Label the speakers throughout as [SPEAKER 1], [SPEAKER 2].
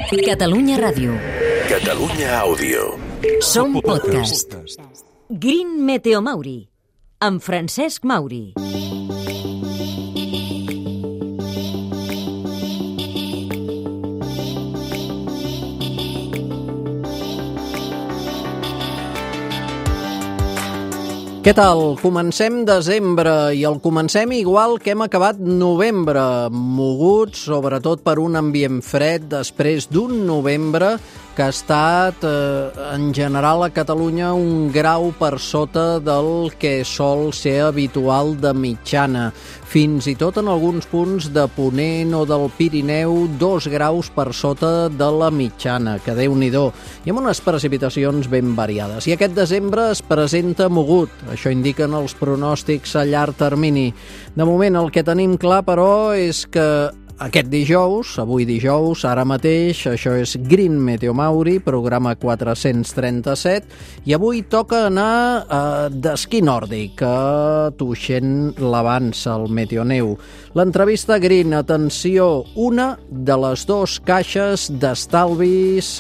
[SPEAKER 1] Catalunya Ràdio.
[SPEAKER 2] Catalunya Àudio.
[SPEAKER 1] Som podcast. Green Meteo Mauri, amb Francesc Mauri.
[SPEAKER 3] Què tal? Comencem desembre i el comencem igual que hem acabat novembre, moguts sobretot per un ambient fred després d'un novembre que ha estat, en general, a Catalunya un grau per sota del que sol ser habitual de mitjana. Fins i tot en alguns punts de Ponent o del Pirineu, 2 graus per sota de la mitjana, que Déu-n'hi-do, i amb unes precipitacions ben variades. I aquest desembre es presenta mogut, això indiquen els pronòstics a llarg termini. De moment el que tenim clar, però, és que aquest dijous, avui dijous, ara mateix, això és Green Meteo Mauri, programa 437, i avui toca anar d'esquí nòrdic a Tuixén l'Avança, al Meteoneu. L'entrevista Green, atenció, una de les 2 caixes d'estalvis,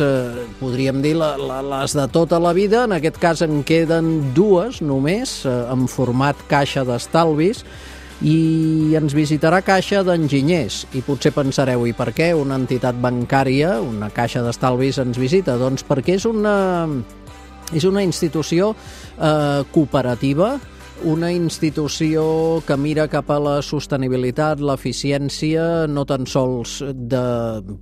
[SPEAKER 3] podríem dir les de tota la vida, en aquest cas en queden 2 només, en format caixa d'estalvis, i ens visitarà Caixa d'Enginyers. I potser pensareu, i per què una entitat bancària, una caixa d'estalvis, ens visita? Doncs perquè és una institució cooperativa, una institució que mira cap a la sostenibilitat, l'eficiència, no tan sols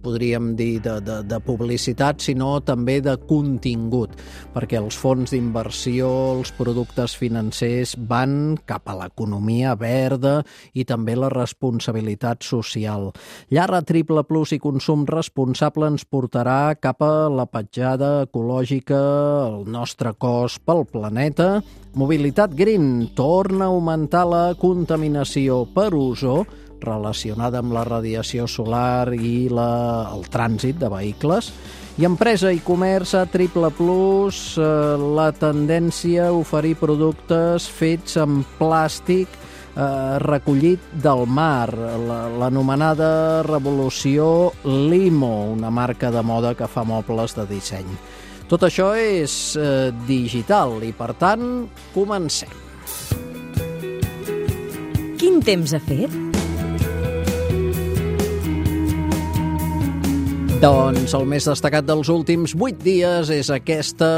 [SPEAKER 3] podríem dir, de publicitat, sinó també de contingut, perquè els fons d'inversió, els productes financers van cap a l'economia verda i també la responsabilitat social. Llar a triple plus i consum responsable ens portarà cap a la petjada ecològica, el nostre cos pel planeta. Mobilitat Green torna a augmentar la contaminació per ozó relacionada amb la radiació solar i el trànsit de vehicles. I empresa i comerç a triple plus, la tendència a oferir productes fets amb plàstic recollit del mar, l'anomenada revolució Limo, una marca de moda que fa mobles de disseny. Tot això és digital i, per tant, comencem.
[SPEAKER 1] Quin temps ha fet?
[SPEAKER 3] Doncs el més destacat dels últims 8 dies és aquesta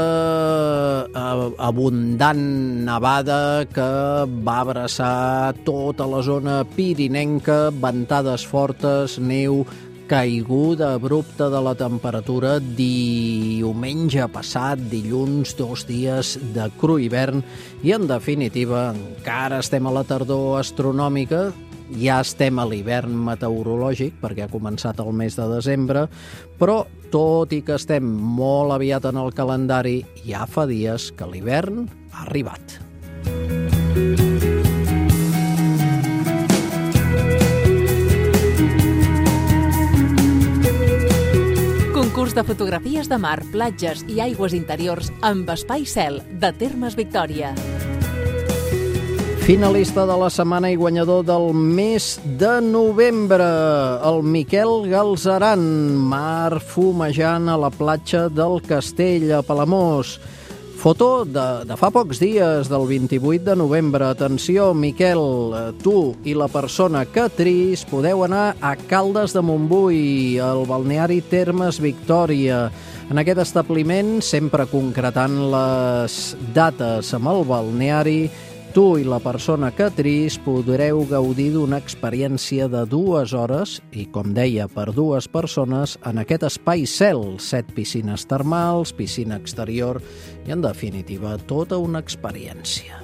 [SPEAKER 3] abundant nevada que va abraçar tota la zona pirinenca, ventades fortes, neu, caiguda abrupta de la temperatura diumenge passat, dilluns, 2 dies de cru hivern i, en definitiva, encara estem a la tardor astronòmica, ja estem a l'hivern meteorològic perquè ha començat el mes de desembre, però tot i que estem molt aviat en el calendari, ja fa dies que l'hivern ha arribat.
[SPEAKER 4] Concurs de fotografies de mar, platges i aigües interiors amb espai cel de Termes Victòria.
[SPEAKER 3] Finalista de la setmana i guanyador del mes de novembre, el Miquel Galzeran, mar fumejant a la platja del Castell, a Palamós. Foto de fa pocs dies, del 28 de novembre. Atenció, Miquel, tu i la persona que tris podeu anar a Caldes de Montbui, al balneari Termes Victòria. En aquest establiment, sempre concretant les dates amb el balneari, tu i la persona que tris podreu gaudir d'una experiència de 2 hores i, com deia, per 2 persones en aquest espai cel, 7 piscines termals, piscina exterior i, en definitiva, tota una experiència.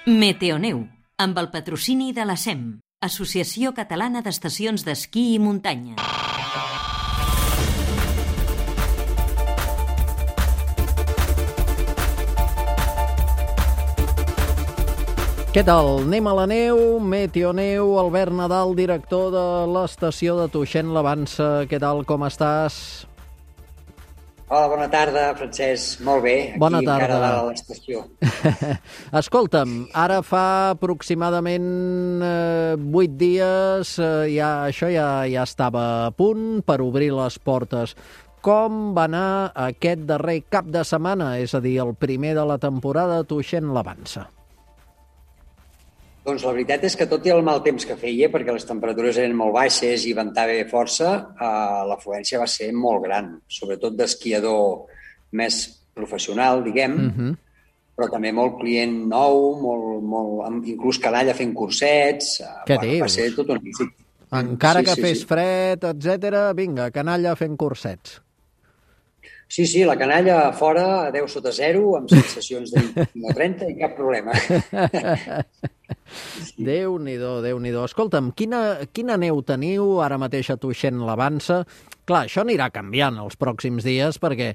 [SPEAKER 1] Meteoneu, amb el patrocini de la SEM, Associació Catalana d'Estacions d'Esquí i Muntanya.
[SPEAKER 3] Què tal? Anem a la neu, Meteoneu, Albert Nadal, director de l'estació de Tuixén l'Avança. Què tal, com estàs?
[SPEAKER 5] Hola, bona tarda, Francesc. Molt bé, aquí
[SPEAKER 3] Bona tarda.
[SPEAKER 5] encara dalt a l'estació.
[SPEAKER 3] Escolta'm, ara fa aproximadament 8 dies, això ja estava a punt per obrir les portes. Com va anar aquest darrer cap de setmana, és a dir, el primer de la temporada, Tuixén l'Avança?
[SPEAKER 5] Doncs la veritat és que tot i el mal temps que feia, perquè les temperatures eren molt baixes i ventava força, l'afluència va ser molt gran, sobretot d'esquiador més professional, diguem, però també molt client nou, inclús canalla fent cursets.
[SPEAKER 3] Què dius?
[SPEAKER 5] Va ser tot un èxit.
[SPEAKER 3] Encara que fes fred, etc., vinga, canalla fent cursets.
[SPEAKER 5] Sí, la canalla a fora, a 10 sota 0, amb sensacions de 20 o 30 i cap problema.
[SPEAKER 3] Déu-n'hi-do, Déu-n'hi-do. Escolta'm, quina neu teniu ara mateix a Tuixén l'Avança? Clar, això anirà canviant els pròxims dies perquè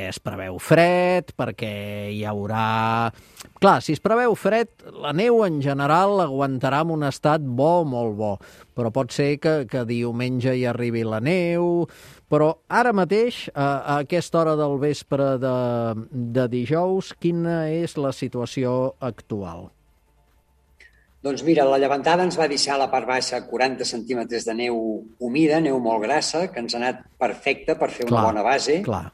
[SPEAKER 3] es preveu fred, perquè hi haurà... Clar, si es preveu fred, la neu en general aguantarà en un estat bo, molt bo, però pot ser que diumenge hi arribi la neu, però ara mateix, a aquesta hora del vespre de dijous, quina és la situació actual?
[SPEAKER 5] Doncs mira, la llevantada ens va deixar a la part baixa 40 centímetres de neu humida, neu molt grassa, que ens ha anat perfecta per fer una bona base.
[SPEAKER 3] Clar.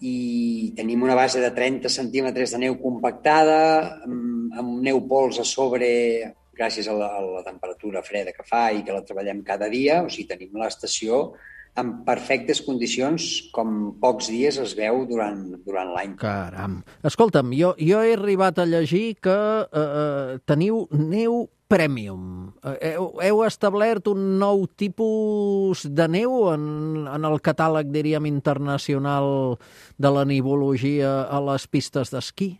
[SPEAKER 5] I tenim una base de 30 centímetres de neu compactada, amb neu pols a sobre, gràcies a la temperatura freda que fa i que la treballem cada dia. O sigui, tenim l'estació en perfectes condicions, com pocs dies es veu durant l'any.
[SPEAKER 3] Caram. Escolta'm, jo he arribat a llegir que teniu neu Premium. Heu establert un nou tipus de neu en el catàleg, diríem, internacional de la nivologia a les pistes d'esquí?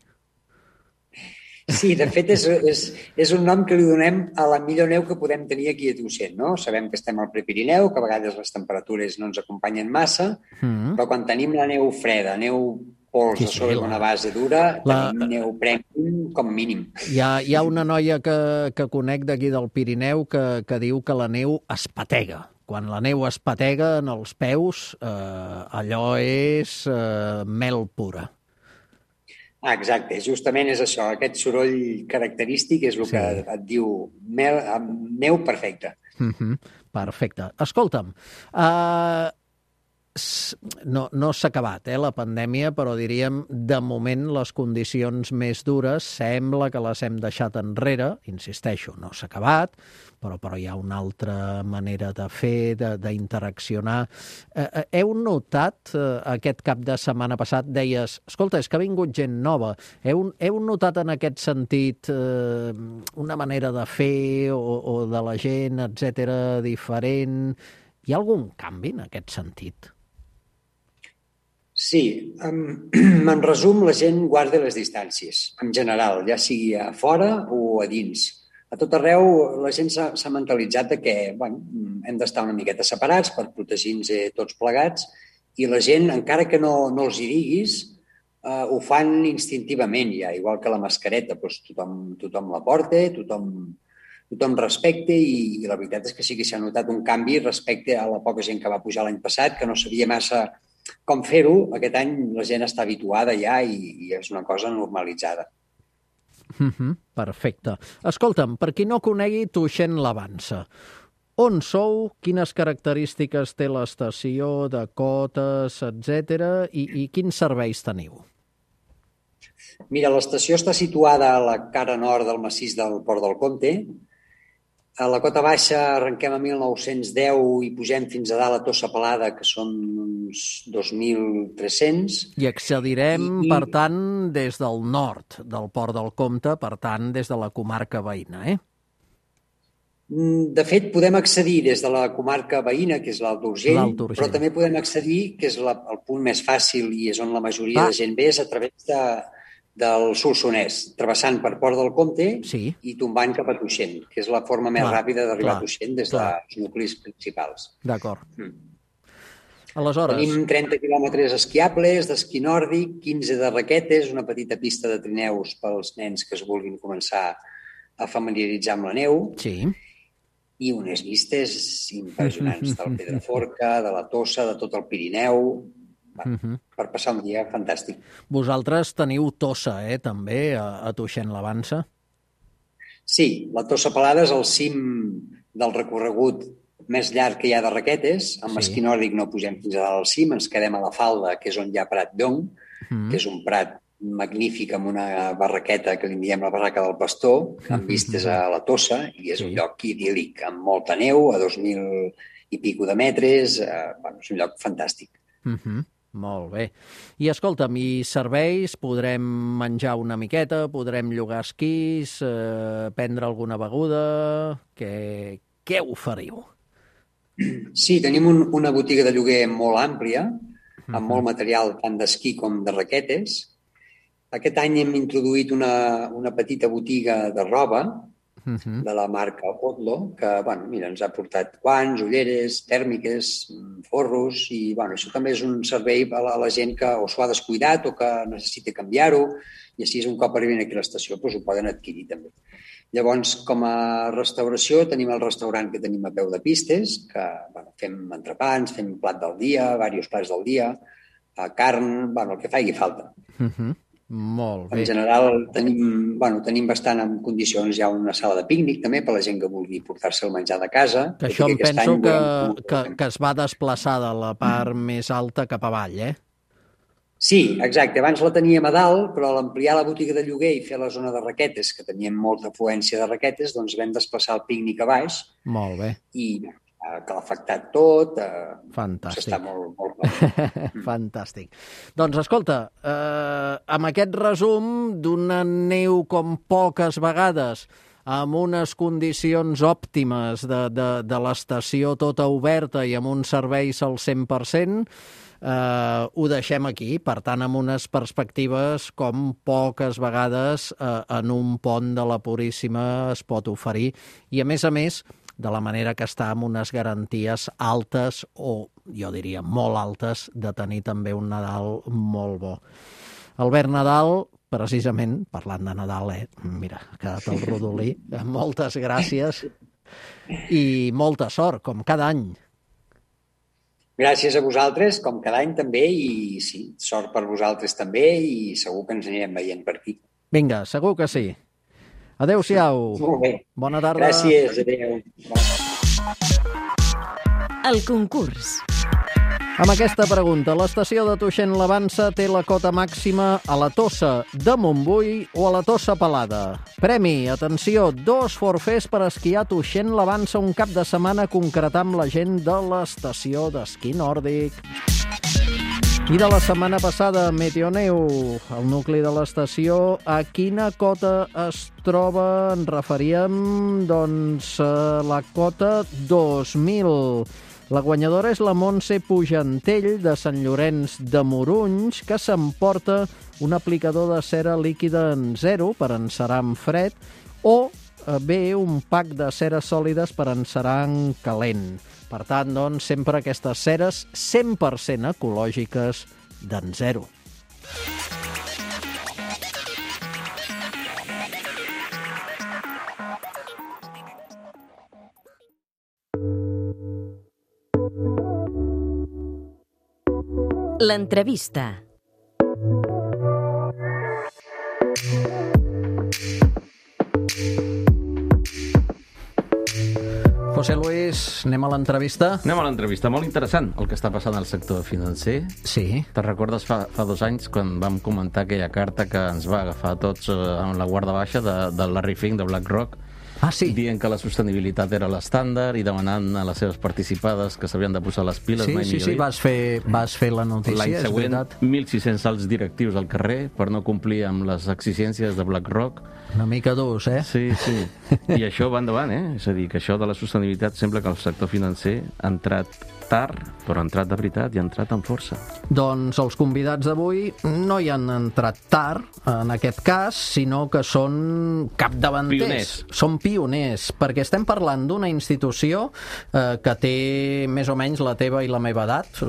[SPEAKER 5] Sí, de fet, és un nom que li donem a la millor neu que podem tenir aquí a Tuixén, no? Sabem que estem al Prepirineu, que a vegades les temperatures no ens acompanyen massa, però quan tenim la neu freda, neu pols a sobre d'una base dura, tenim neu premium com a mínim.
[SPEAKER 3] Hi ha una noia que conec d'aquí del Pirineu que diu que la neu es patega. Quan la neu es patega en els peus, allò és mel pura.
[SPEAKER 5] Exacte, justament és això, aquest soroll característic és el que et diu neu perfecta.
[SPEAKER 3] Perfecte. Escolta'm, no s'ha acabat la pandèmia, però diríem, de moment, les condicions més dures sembla que les hem deixat enrere. Insisteixo, no s'ha acabat, però hi ha una altra manera de fer, d'interaccionar. Heu notat, aquest cap de setmana passat, deies, escolta, és que ha vingut gent nova. Heu notat en aquest sentit una manera de fer o de la gent, etcètera, diferent? Hi ha algun canvi en aquest sentit?
[SPEAKER 5] Sí, en resum, la gent guarda les distàncies, en general, ja sigui a fora o a dins. A tot arreu la gent s'ha mentalitzat que hem d'estar una miqueta separats per protegir-nos tots plegats i la gent, encara que no els hi diguis, ho fan instintivament ja, igual que la mascareta. Doncs tothom la porta, tothom respecta i la veritat és que sí que s'ha notat un canvi respecte a la poca gent que va pujar l'any passat, que no sabia massa com fer-ho. Aquest any la gent està habituada ja i és una cosa normalitzada.
[SPEAKER 3] Perfecte. Escolta'm, per qui no conegui Tuixén l'Avança, on sou, quines característiques té l'estació, de cotes, etc. i quins serveis teniu?
[SPEAKER 5] Mira, l'estació està situada a la cara nord del massís del Port del Comte. A la cota baixa arrenquem a 1910 i pugem fins a dalt a Tossa Pelada, que són uns 2.300.
[SPEAKER 3] I accedirem, per tant, des del nord del Port del Comte, per tant, des de la comarca veïna,
[SPEAKER 5] De fet, podem accedir des de la comarca veïna, que és l'Alt Urgell, però també podem accedir, que és el punt més fàcil i és on la majoria de gent ve, és a través del Solsonès, travessant per Port del Comte i tombant cap a Tuixén, que és la forma més ràpida d'arribar a Tuixén des dels nuclis principals.
[SPEAKER 3] D'acord. Aleshores...
[SPEAKER 5] Tenim 30 quilòmetres esquiables d'esquí nòrdic, 15 de raquetes, una petita pista de trineus pels nens que es vulguin començar a familiaritzar amb la neu.
[SPEAKER 3] Sí.
[SPEAKER 5] I unes vistes impressionants del Pedraforca, de la Tossa, de tot el Pirineu. per passar un dia fantàstic.
[SPEAKER 3] Vosaltres teniu Tossa, també, a Tuixén-la-Vansa?
[SPEAKER 5] Sí, la Tossa Pelada és el cim del recorregut més llarg que hi ha de raquetes. Amb esquí nòrdic no pugem fins a dalt al cim, ens quedem a la falda, que és on hi ha Prat d'Ong, que és un prat magnífic amb una barraqueta que li diem la barraca del Pastor, amb vistes a la Tossa, i és un lloc idíl·lic, amb molta neu, a 2.000 i pico de metres. És un lloc fantàstic.
[SPEAKER 3] Molt bé. I escolta'm, i serveis? Podrem menjar una miqueta? Podrem llogar esquís? Prendre alguna beguda? Què oferiu?
[SPEAKER 5] Sí, tenim una botiga de lloguer molt àmplia, amb molt material tant d'esquí com de raquetes. Aquest any hem introduït una petita botiga de roba de la marca Otlo, que ens ha portat guants, ulleres, tèrmiques, forros, i això també és un servei a la gent que o s'ho ha descuidat o que necessita canviar-ho, i així un cop arribin aquí a l'estació ho poden adquirir també. Llavors, com a restauració, tenim el restaurant que tenim a peu de pistes, que fem entrepans, fem plat del dia, diversos plats del dia, carn, el que faci falta.
[SPEAKER 3] Molt bé.
[SPEAKER 5] En general, tenim bastant en condicions. Hi ha una sala de pícnic també per la gent que vulgui portar-se el menjar de casa.
[SPEAKER 3] Que això em penso que es va desplaçar de la part més alta cap avall,
[SPEAKER 5] Sí, exacte. Abans la teníem a dalt, però a l'ampliar la botiga de lloguer i fer la zona de raquetes, que teníem molta afluència de raquetes, doncs vam desplaçar el pícnic a baix.
[SPEAKER 3] Molt bé.
[SPEAKER 5] I que l'ha afectat tot.
[SPEAKER 3] Fantàstic.
[SPEAKER 5] Està molt bé.
[SPEAKER 3] Fantàstic. Doncs escolta, amb aquest resum d'una neu com poques vegades, amb unes condicions òptimes de l'estació tota oberta i amb uns serveis al 100%, ho deixem aquí, per tant, amb unes perspectives com poques vegades en un pont de la Puríssima es pot oferir, i a més, de la manera que està amb unes garanties altes, o jo diria molt altes, de tenir també un Nadal molt bo. Albert Nadal, precisament, parlant de Nadal, mira, ha quedat el rodolí, moltes gràcies i molta sort, com cada any.
[SPEAKER 5] Gràcies a vosaltres, com cada any també, i sí, sort per vosaltres també, i segur que ens anirem veient per aquí.
[SPEAKER 3] Vinga, segur que sí. Adéu-siau.
[SPEAKER 5] Molt bé.
[SPEAKER 3] Bona tarda.
[SPEAKER 5] Gràcies, adéu.
[SPEAKER 1] El concurs.
[SPEAKER 3] Amb aquesta pregunta, l'estació de Tuixén-la-Vansa té la cota màxima a la Tossa de Montbui o a la Tossa Pelada? Premi, atenció, 2 forfets per esquiar a Tuixén-la-Vansa un cap de setmana, concretar amb la gent de l'estació d'esquí nòrdic. I de la setmana passada, Meteoneu, el nucli de l'estació, a quina cota es troba? En referíem, doncs, a la cota 2000. La guanyadora és la Montse Pujantell, de Sant Llorenç de Morunys, que s'emporta un aplicador de cera líquida en 0 per encerar en fred, o bé un pack de ceres sòlides per encerar en calent. Per tant, doncs, sempre aquestes ceres 100% ecològiques d'en 0.
[SPEAKER 1] L'entrevista.
[SPEAKER 3] José Luis, anem a l'entrevista?
[SPEAKER 6] Anem a l'entrevista. Molt interessant el que està passant al sector financer.
[SPEAKER 3] Sí.
[SPEAKER 6] Te'n recordes fa 2 anys quan vam comentar aquella carta que ens va agafar tots amb la guarda baixa de Larry Fink, de BlackRock?
[SPEAKER 3] Ah, sí.
[SPEAKER 6] Dient que la sostenibilitat era l'estàndard i demanant a les seves participades que s'havien de posar les piles.
[SPEAKER 3] Sí, vas fer la notícia,
[SPEAKER 6] l'any
[SPEAKER 3] és
[SPEAKER 6] següent,
[SPEAKER 3] veritat.
[SPEAKER 6] 1.600 alts directius al carrer per no complir amb les exigències de BlackRock.
[SPEAKER 3] Una mica durs,
[SPEAKER 6] Sí. I això va endavant, És a dir, que això de la sostenibilitat sembla que el sector financer ha entrat tard, però ha entrat de veritat i ha entrat amb força.
[SPEAKER 3] Doncs els convidats d'avui no hi han entrat tard, en aquest cas, sinó que són capdavanters.
[SPEAKER 6] Pioners.
[SPEAKER 3] Són pioners pioners, perquè estem parlant d'una institució que té més o menys la teva i la meva edat.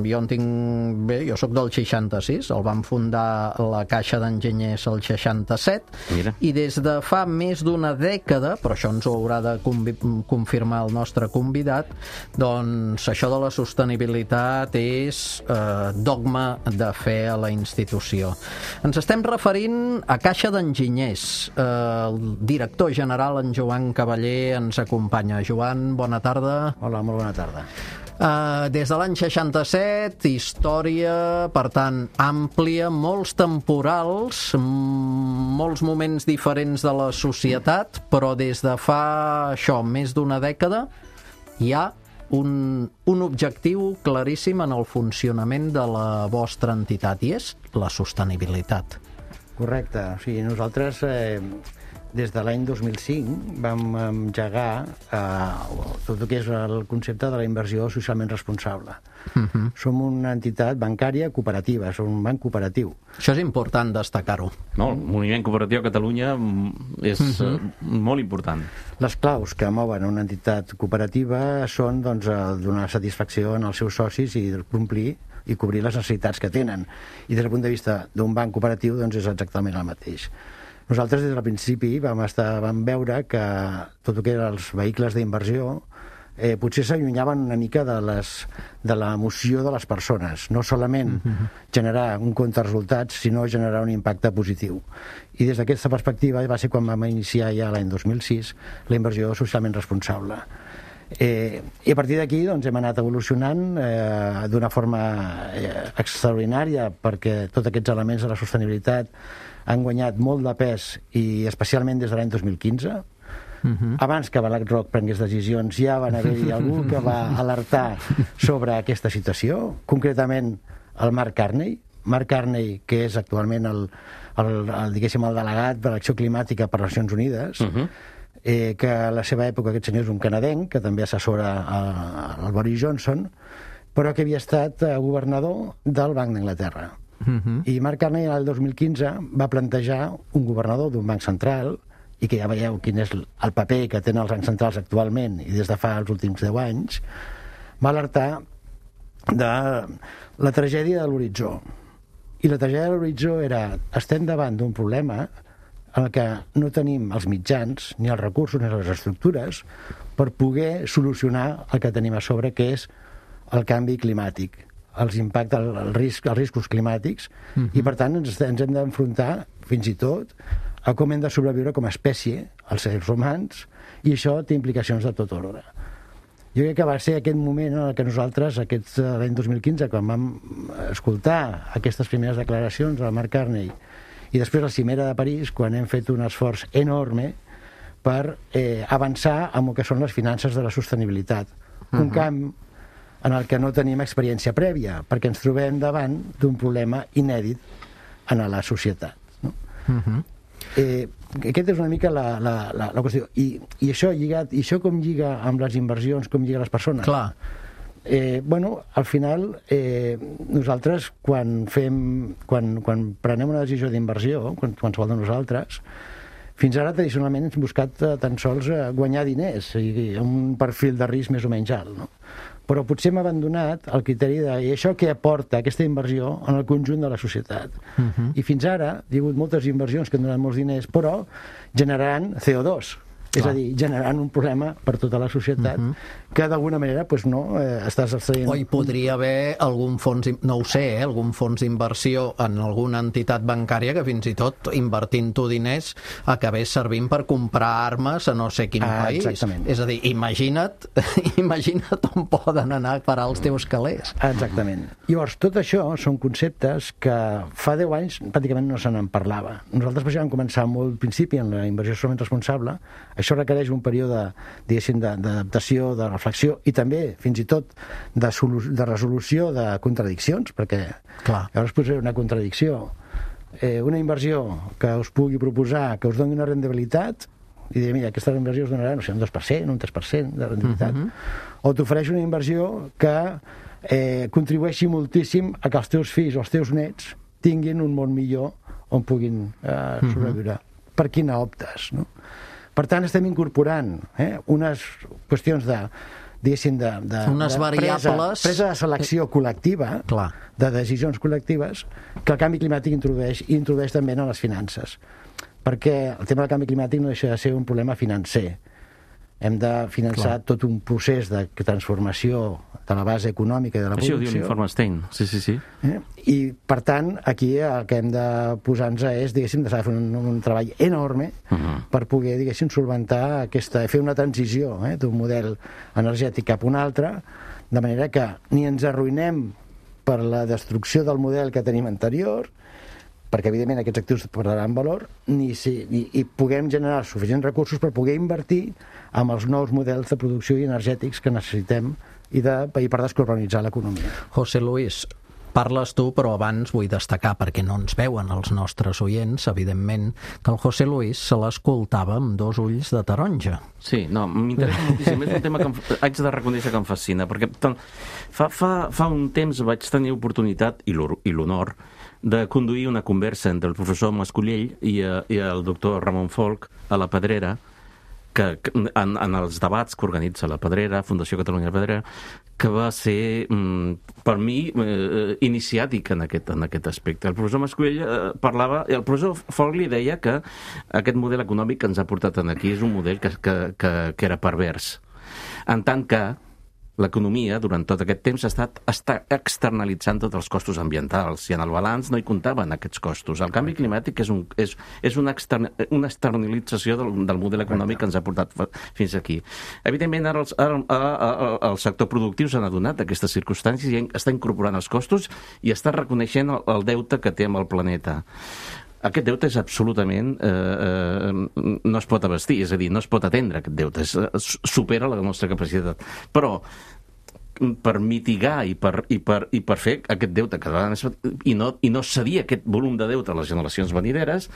[SPEAKER 3] Jo sóc del 66, el van fundar la Caixa d'Enginyers el 67,
[SPEAKER 6] Mira.
[SPEAKER 3] I des de fa més d'una dècada, però això ens ho haurà de confirmar el nostre convidat, doncs això de la sostenibilitat és dogma de fe a la institució. Ens estem referint a Caixa d'Enginyers. El director general, en Joan Cavaller, ens acompanya. Joan, bona tarda.
[SPEAKER 7] Hola, molt bona tarda.
[SPEAKER 3] Des de l'any 67, història, per tant, àmplia, molts temporals, molts moments diferents de la societat, però des de fa, més d'una dècada, hi ha un objectiu claríssim en el funcionament de la vostra entitat, i és la sostenibilitat.
[SPEAKER 7] Correcte. O sigui, nosaltres, des de l'any 2005, vam engegar tot el que és el concepte de la inversió socialment responsable. Som una entitat bancària cooperativa, som un banc cooperatiu.
[SPEAKER 3] Això és important destacar-ho.
[SPEAKER 6] No, el moviment cooperatiu a Catalunya és molt important.
[SPEAKER 7] Les claus que mouen una entitat cooperativa són donar satisfacció als seus socis i complir i cobrir les necessitats que tenen. I des del punt de vista d'un banc cooperatiu és exactament el mateix. Nosaltres des del principi vam veure que tot el que eren els vehicles d'inversió potser s'allunyaven una mica de l'emoció de les persones, no solament generar un compte de resultats, sinó generar un impacte positiu. I des d'aquesta perspectiva va ser quan vam iniciar ja l'any 2006 la inversió socialment responsable. I a partir d'aquí hem anat evolucionant d'una forma extraordinària, perquè tots aquests elements de la sostenibilitat han guanyat molt de pes, i especialment des de l'any 2015. Abans que BlackRock prengués decisions ja van haver-hi algú que va alertar sobre aquesta situació, concretament el Mark Carney, que és actualment el delegat de l'acció climàtica per les Nacions Unides, que a la seva època aquest senyor és un canadenc, que també assessora el Boris Johnson, però que havia estat governador del Banc d'Anglaterra. I Mark Carney el 2015 va plantejar un governador d'un banc central, i que ja veieu quin és el paper que tenen els bancs centrals actualment i des de fa els últims 10 anys, va alertar de la tragèdia de l'horitzó. I la tragèdia de l'horitzó era: estem davant d'un problema en què no tenim els mitjans, ni els recursos, ni les estructures per poder solucionar el que tenim a sobre, que és el canvi climàtic, els impactes, els riscos climàtics, i per tant ens hem d'enfrontar fins i tot a com hem de sobreviure com a espècie, els éssers humans, i això té implicacions de tot ordre. Jo crec que va ser aquest moment en què nosaltres, l'any 2015, quan vam escoltar aquestes primeres declaracions del Mark Carney, i després la cimera de París, quan hem fet un esforç enorme per avançar en el que són les finances de la sostenibilitat. Un camp en el que no tenim experiència prèvia, perquè ens trobem davant d'un problema inèdit en la societat. Aquesta és una mica la qüestió. I això com lliga amb les inversions, com lliga les persones?
[SPEAKER 3] Clar.
[SPEAKER 7] Al final, nosaltres, quan prenem una decisió d'inversió, qualsevol de nosaltres, fins ara tradicionalment hem buscat tan sols guanyar diners, i un perfil de risc més o menys alt, no? Però potser hem abandonat el criteri de això que aporta aquesta inversió en el conjunt de la societat. I fins ara hi ha hagut moltes inversions que han donat molts diners, però generant CO2, és a dir, generant un problema per tota la societat que d'alguna manera estàs extraient.
[SPEAKER 3] O hi podria haver algun fons, no ho sé, algun fons d'inversió en alguna entitat bancària que fins i tot invertint-ho diners acabés servint per comprar armes a no sé quin país.
[SPEAKER 7] Exactament.
[SPEAKER 3] És a dir, imagina't on poden anar a parar els teus calés.
[SPEAKER 7] Exactament. Llavors, tot això són conceptes que fa 10 anys pràcticament no se n'en parlava. Nosaltres vam començar molt al principi en la inversió socialment responsable. Això requereix un període, diguéssim, d'adaptació, de reflexió, i també, fins i tot, de resolució de contradiccions, perquè llavors potser una contradicció. Una inversió que us pugui proposar, que us doni una rendibilitat, i dir, mira, aquesta inversió us donarà, no sé, un 2%, un 3% de rendibilitat. O t'ofereix una inversió que contribueixi moltíssim a que els teus fills o els teus nets tinguin un món millor on puguin sobreviure. Per quina optes, no? Per tant, estem incorporant unes qüestions de
[SPEAKER 3] unes variables...
[SPEAKER 7] presa de selecció col·lectiva, de decisions col·lectives, que el canvi climàtic introdueix també en les finances. Perquè el tema del canvi climàtic no deixa de ser un problema financer. Hem de finançar tot un procés de transformació de la base econòmica i de la producció.
[SPEAKER 6] Això ho diu l'informe Stein, sí.
[SPEAKER 7] I, per tant, aquí el que hem de posar-nos és, diguéssim, de fer un treball enorme per poder, diguéssim, solventar fer una transició d'un model energètic cap a un altre, de manera que ni ens arruïnem per la destrucció del model que tenim anterior, perquè evidentment aquests actius perdran valor, i puguem generar suficients recursos per poder invertir en els nous models de producció i energètics que necessitem i per descarbonitzar l'economia.
[SPEAKER 3] José Luis, parles tu, però abans vull destacar, perquè no ens veuen els nostres oients, evidentment, que el José Luis se l'escoltava amb 2 ulls de taronja.
[SPEAKER 6] Sí, no, m'interessa moltíssim. És un tema que haig de reconèixer que em fascina, perquè fa un temps vaig tenir oportunitat i l'honor de conduir una conversa entre el professor Mascollell i el doctor Ramon Folch a la Pedrera, que en els debats que organitza la Pedrera, Fundació Catalunya Pedrera, que va ser, per mi, iniciàtic en aquest aspecte. El professor Mascollell parlava, i el professor Folch li deia que aquest model econòmic que ens ha portat aquí és un model que era pervers. En tant que l'economia, durant tot aquest temps, està externalitzant tots els costos ambientals, i en el balanç no hi comptaven aquests costos. El canvi climàtic és una externalització del model econòmic que ens ha portat fins aquí. Evidentment, ara el sector productiu s'ha adonat d'aquestes circumstàncies i està incorporant els costos i està reconeixent el deute que té amb el planeta. Aquest deute és absolutament... no es pot abastir, és a dir, no es pot atendre aquest deute, supera la nostra capacitat. Però per mitigar i per fer aquest deute i no cedir aquest volum de deute a les generacions venideres,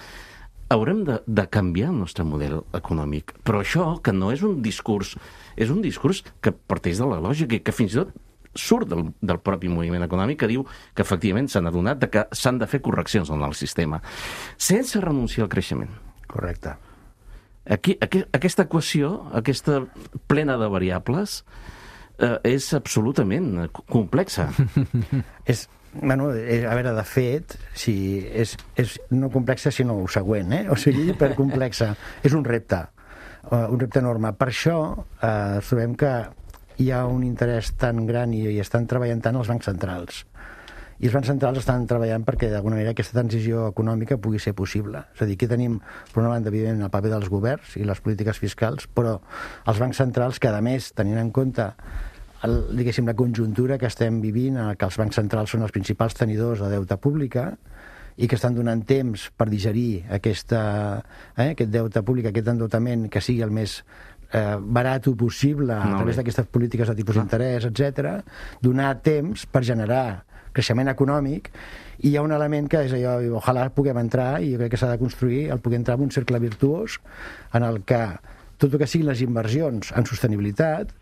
[SPEAKER 6] haurem de canviar el nostre model econòmic. Però això, que no és un discurs, és un discurs que parteix de la lògica i que fins i tot surt del propi moviment econòmic, que diu que efectivament s'han adonat que s'han de fer correccions en el sistema, sense renunciar al creixement.
[SPEAKER 7] Correcte.
[SPEAKER 6] Aquesta equació, aquesta plena de variables, és absolutament complexa.
[SPEAKER 7] A veure, de fet, és no complexa, sinó ho següent, o sigui, hipercomplexa. És un repte enorme. Per això trobem que hi ha un interès tan gran i estan treballant tant els bancs centrals. I els bancs centrals estan treballant perquè, d'alguna manera, aquesta transició econòmica pugui ser possible. És a dir, aquí tenim, per una banda, evidentment, el paper dels governs i les polítiques fiscals, però els bancs centrals, que, a més, tenint en compte diguéssim, la conjuntura que estem vivint, en què els bancs centrals són els principals tenidors de deute pública i que estan donant temps per digerir aquest deute públic, aquest endeutament que sigui el més barat possible a través d'aquestes polítiques de tipus d'interès, etc., donar temps per generar creixement econòmic, i hi ha un element que és allò, ojalà puguem entrar, i jo crec que s'ha de construir, poder entrar en un cercle virtuós en el que tot el que siguin les inversions en sostenibilitat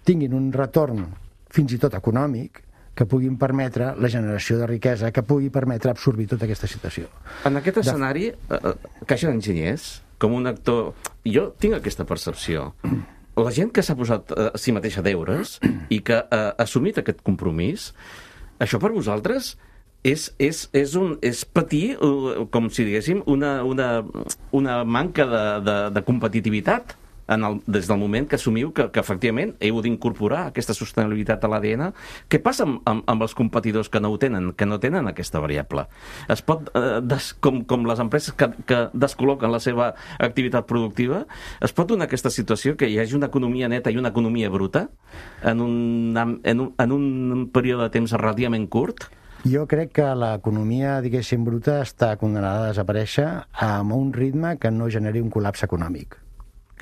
[SPEAKER 7] tinguin un retorn fins i tot econòmic que puguin permetre la generació de riquesa, que pugui permetre absorbir tota aquesta situació.
[SPEAKER 6] En aquest escenari, Caixa d'Enginyers, com un actor... Jo tinc aquesta percepció. La gent que s'ha posat a si mateixa deures i que ha assumit aquest compromís, això per vosaltres és patir, com si diguéssim, una manca de competitivitat des del moment que assumiu que efectivament heu d'incorporar aquesta sostenibilitat a l'ADN. Què passa amb els competidors que no tenen aquesta variable? Es pot, com les empreses que descol·loquen la seva activitat productiva, es pot donar aquesta situació que hi hagi una economia neta i una economia bruta en un període de temps relativament curt?
[SPEAKER 7] Jo crec que l'economia, diguéssim, bruta està condenada a desaparèixer amb un ritme que no generi un col·lapse econòmic.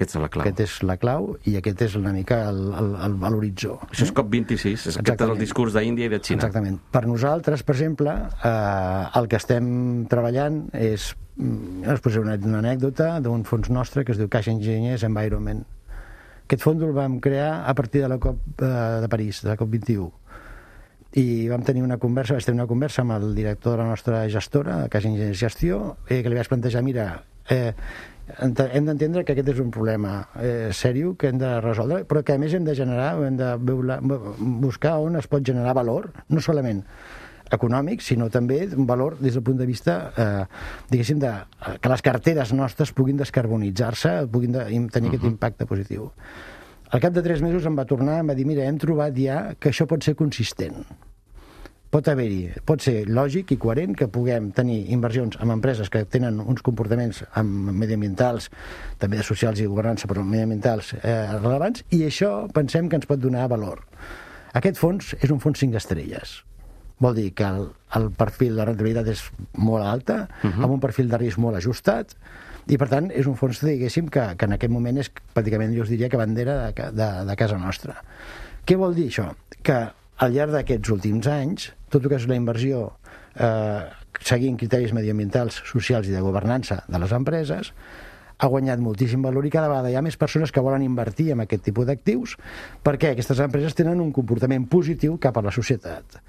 [SPEAKER 7] Aquest és la clau i aquest és una mica l'horitzó.
[SPEAKER 6] Això és COP26, aquest és el discurs d'Índia i de Xina.
[SPEAKER 7] Exactament. Per nosaltres, per exemple, el que estem treballant és, us posaré una anècdota d'un fons nostre que es diu Caixa Enginyers Environment. Aquest fons el vam crear a partir de la COP de París, de la COP21. I vaig tenir una conversa amb el director de la nostra gestora, Caixa Enginyers Gestió, que li vaig plantejar, mira, hem d'entendre que aquest és un problema sèrio que hem de resoldre, però que a més hem de generar, hem de buscar on es pot generar valor, no solament econòmic, sinó també un valor des del punt de vista, diguéssim, que les carteres nostres puguin descarbonitzar-se, puguin tenir aquest impacte positiu. Al cap de 3 mesos em va tornar, em va dir, mira, hem trobat ja que això pot ser consistent. Pot ser lògic i coherent que puguem tenir inversions en empreses que tenen uns comportaments mediambientals, també de socials i de governança, però mediambientals rellevants, i això pensem que ens pot donar valor. Aquest fons és un fons 5 estrelles. Vol dir que el perfil de rentabilitat és molt alta, amb un perfil de risc molt ajustat, i per tant és un fons, diguéssim, que en aquest moment és pràcticament, jo us diria, que bandera de casa nostra. Què vol dir això? Que al llarg d'aquests últims anys, tot el que és la inversió seguint criteris mediambientals, socials i de governança de les empreses, ha guanyat moltíssim valor i cada vegada hi ha més persones que volen invertir en aquest tipus d'actius perquè aquestes empreses tenen un comportament positiu cap a la societat.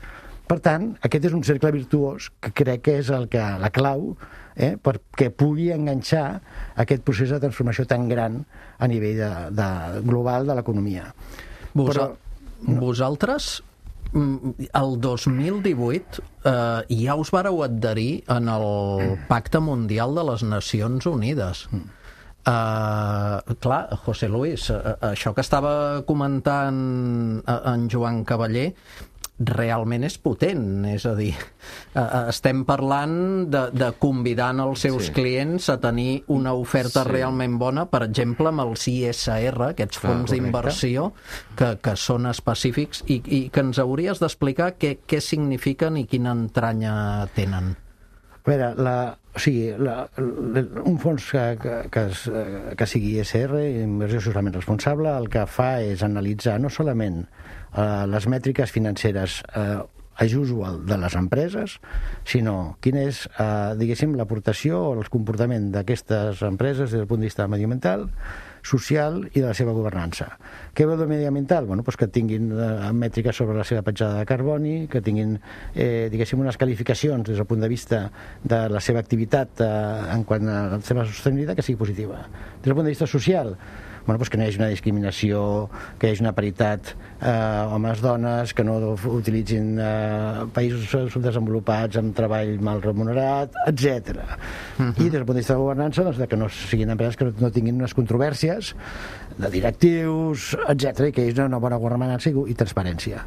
[SPEAKER 7] Per tant, aquest és un cercle virtuós que crec que és la clau perquè pugui enganxar aquest procés de transformació tan gran a nivell global de l'economia.
[SPEAKER 3] Vosaltres, el 2018, ja us vareu adherir en el Pacte Mundial de les Nacions Unides. Clar, José Luis, això que estava comentant en Joan Cavaller realment és potent, és a dir, estem parlant de convidant els seus clients a tenir una oferta realment bona, per exemple, amb els ISR, aquests fons d'inversió que són específics i que ens hauries d'explicar què signifiquen i quina entranya tenen.
[SPEAKER 7] A veure, un fons que sigui ISR, inversió socialment responsable, el que fa és analitzar no solament les mètriques financeres as usual de les empreses, sinó quina és, diguéssim, l'aportació o el comportament d'aquestes empreses des del punt de vista mediambiental, social i de la seva governança. Què vol dir mediambiental? Bueno, doncs que tinguin mètriques sobre la seva petjada de carboni, que tinguin, diguéssim, unes qualificacions des del punt de vista de la seva activitat en quant a la seva sostenibilitat que sigui positiva. Des del punt de vista social, bueno, doncs que no hi hagi una discriminació, que hi hagi una paritat homes-dones, que no utilitzin països subdesenvolupats amb treball mal remunerat, etc. I des del punt de vista de governança, doncs, que no siguin empreses que no tinguin unes controvèrsies de directius, etc., i que hi hagi una bona governança i transparència.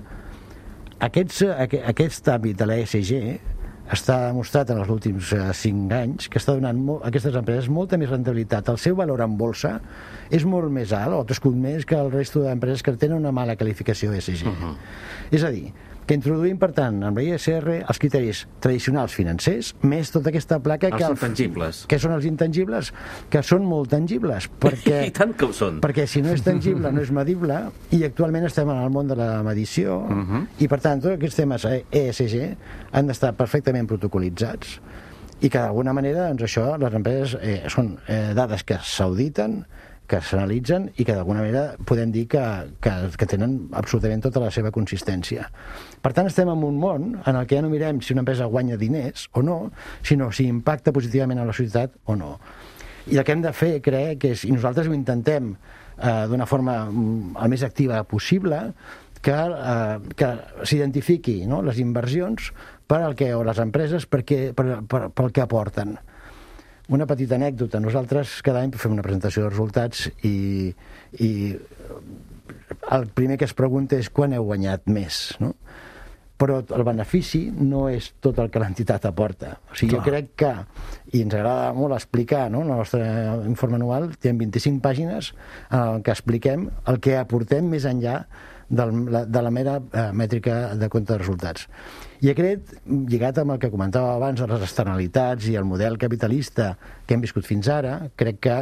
[SPEAKER 7] Aquest àmbit de l'ESG està demostrat en els últims 5 anys que està donant a aquestes empreses molta més rendibilitat. El seu valor en bolsa és molt més alt, o ha crescut més que el resto d'empreses que tenen una mala qualificació ESG. És a dir, que introduïm, per tant, amb la ISR els criteris tradicionals financers, més tota aquesta placa
[SPEAKER 6] els intangibles.
[SPEAKER 7] Que són els intangibles, que són molt tangibles, perquè,
[SPEAKER 6] i tant que ho són.
[SPEAKER 7] Perquè si no és tangible no és medible, i actualment estem en el món de la medició, i per tant tots aquests temes ESG han d'estar perfectament protocolitzats, i que d'alguna manera, doncs això, les empreses són dades que s'auditen, que s'analitzen i que d'alguna manera podem dir que tenen absolutament tota la seva consistència. Per tant, estem en un món en el que ja no mirem si una empresa guanya diners o no, sinó si impacta positivament a la societat o no. I el que hem de fer, crec, és, i nosaltres ho intentem d'una forma el més activa possible, que s'identifiqui, no?, les inversions o les empreses pel que aporten. Una petita anècdota. Nosaltres cada any fem una presentació de resultats i el primer que es pregunta és quan heu guanyat més, no? Però el benefici no és tot el que l'entitat aporta. O sigui, jo crec que, i ens agrada molt explicar, no?, el nostre informe anual té 25 pàgines en què expliquem el que aportem més enllà de la mera mètrica de compte de resultats. I aquest, lligat amb el que comentava abans de les externalitats i el model capitalista que hem viscut fins ara, crec que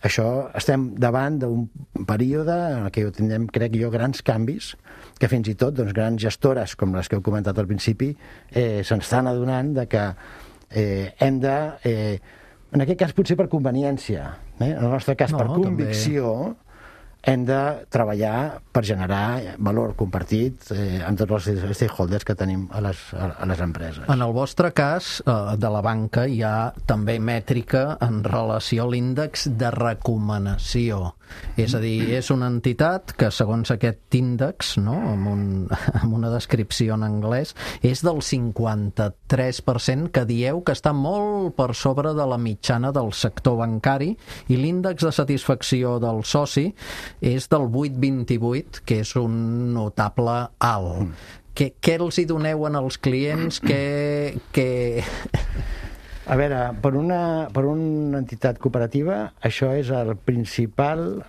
[SPEAKER 7] això estem davant d'un període en què tindrem, crec jo, grans canvis que fins i tot grans gestores com les que heu comentat al principi se'n estan adonant de que hem de, en aquest cas potser per conveniència, en el nostre cas per convicció, hem de treballar per generar valor compartit amb tots els stakeholders que tenim a les empreses.
[SPEAKER 3] En el vostre cas, de la banca, hi ha també mètrica en relació a l'índex de recomanació. És a dir, és una entitat que, segons aquest índex, no, amb una descripció en anglès, és del 53%, que dieu que està molt per sobre de la mitjana del sector bancari, i l'índex de satisfacció del soci és del 8,28, que és un notable alt. Què els hi doneu als clients?
[SPEAKER 7] A veure, per una entitat cooperativa, això és el principal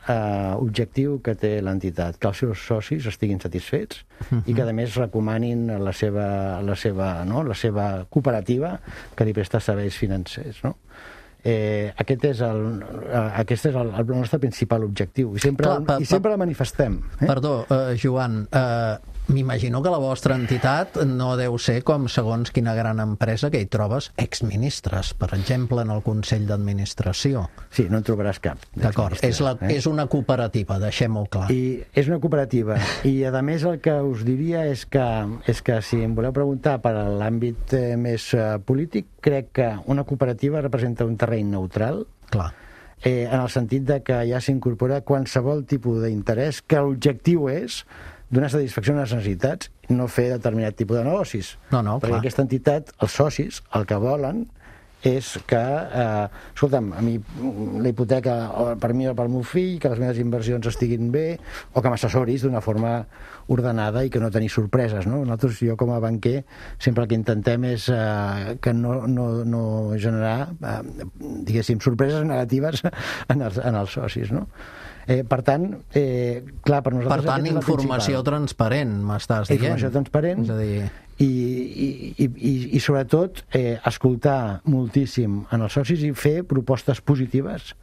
[SPEAKER 7] objectiu que té l'entitat, que els seus socis estiguin satisfets i que, a més, recomanin la seva cooperativa que li presta serveis financers, no? Aquest és el nostre principal objectiu i sempre el manifestem.
[SPEAKER 3] Perdó, Joan, m'imagino que la vostra entitat no deu ser com segons quina gran empresa que hi trobes exministres, per exemple, en el Consell d'Administració.
[SPEAKER 7] Sí, no en trobaràs cap.
[SPEAKER 3] D'acord, és una cooperativa, deixem-ho clar.
[SPEAKER 7] I és una cooperativa, i a més el que us diria és que si em voleu preguntar per l'àmbit més polític, crec que una cooperativa representa un terreny neutral,
[SPEAKER 3] clar,
[SPEAKER 7] en el sentit de que ja s'incorpora qualsevol tipus d'interès, que l'objectiu és donar satisfacció a les necessitats, no fer determinat tipus de negocis.
[SPEAKER 3] No,
[SPEAKER 7] perquè
[SPEAKER 3] clar.
[SPEAKER 7] Aquesta entitat, els socis, el que volen és que, escolta'm, a mi la hipoteca per mi o per meu fill, que les meves inversions estiguin bé, o que m'assessoris d'una forma ordenada i que no tenir sorpreses, no? Nosaltres, jo com a banquer, sempre el que intentem és que no generar, diguéssim, sorpreses negatives en els socis, no? Per tant, clar, per nosaltres...
[SPEAKER 3] Per tant, informació transparent, m'estàs dient.
[SPEAKER 7] Informació transparent,
[SPEAKER 3] és a dir...
[SPEAKER 7] i sobretot escoltar moltíssim en els socis i fer propostes positives,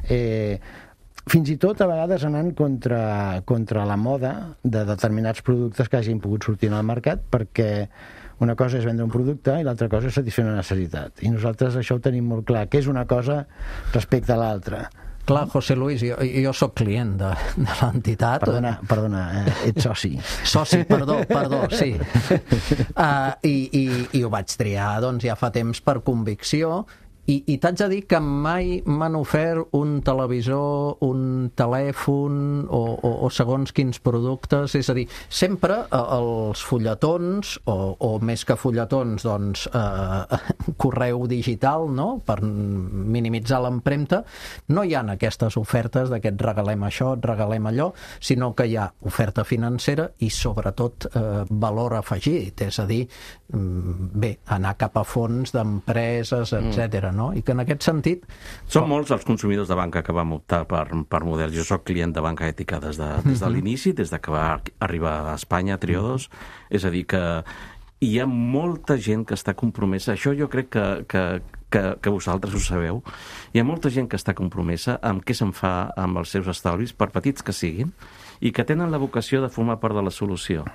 [SPEAKER 7] fins i tot a vegades anant contra la moda de determinats productes que hagin pogut sortir al mercat, perquè una cosa és vendre un producte i l'altra cosa és satisfer una necessitat, i nosaltres això ho tenim molt clar, que és una cosa respecte a l'altra.
[SPEAKER 3] Clar, José Luis, jo sóc client de l'entitat.
[SPEAKER 7] Perdona, ets soci.
[SPEAKER 3] Soci, perdó, sí. I ho vaig triar, doncs, ja fa temps per convicció, i t'haig de dir que mai m'han ofert un televisor, un telèfon o segons quins productes, és a dir, sempre els fulletons, o més que fulletons, doncs, correu digital, no?, per minimitzar l'empremta, no hi ha aquestes ofertes d'aquest regalem això, et regalem allò, sinó que hi ha oferta financera i sobretot valor afegit, és a dir, bé, anar cap a fons d'empreses, etcètera, no? I que en aquest sentit...
[SPEAKER 6] Són molts els consumidors de banca que vam optar per models. Jo soc client de banca ètica des de l'inici, des de que va arribar a Espanya, Triodos. És a dir, que hi ha molta gent que està compromesa. Això jo crec que vosaltres ho sabeu. Hi ha molta gent que està compromesa amb què se'n fa amb els seus estalvis, per petits que siguin, i que tenen la vocació de formar part de la solució.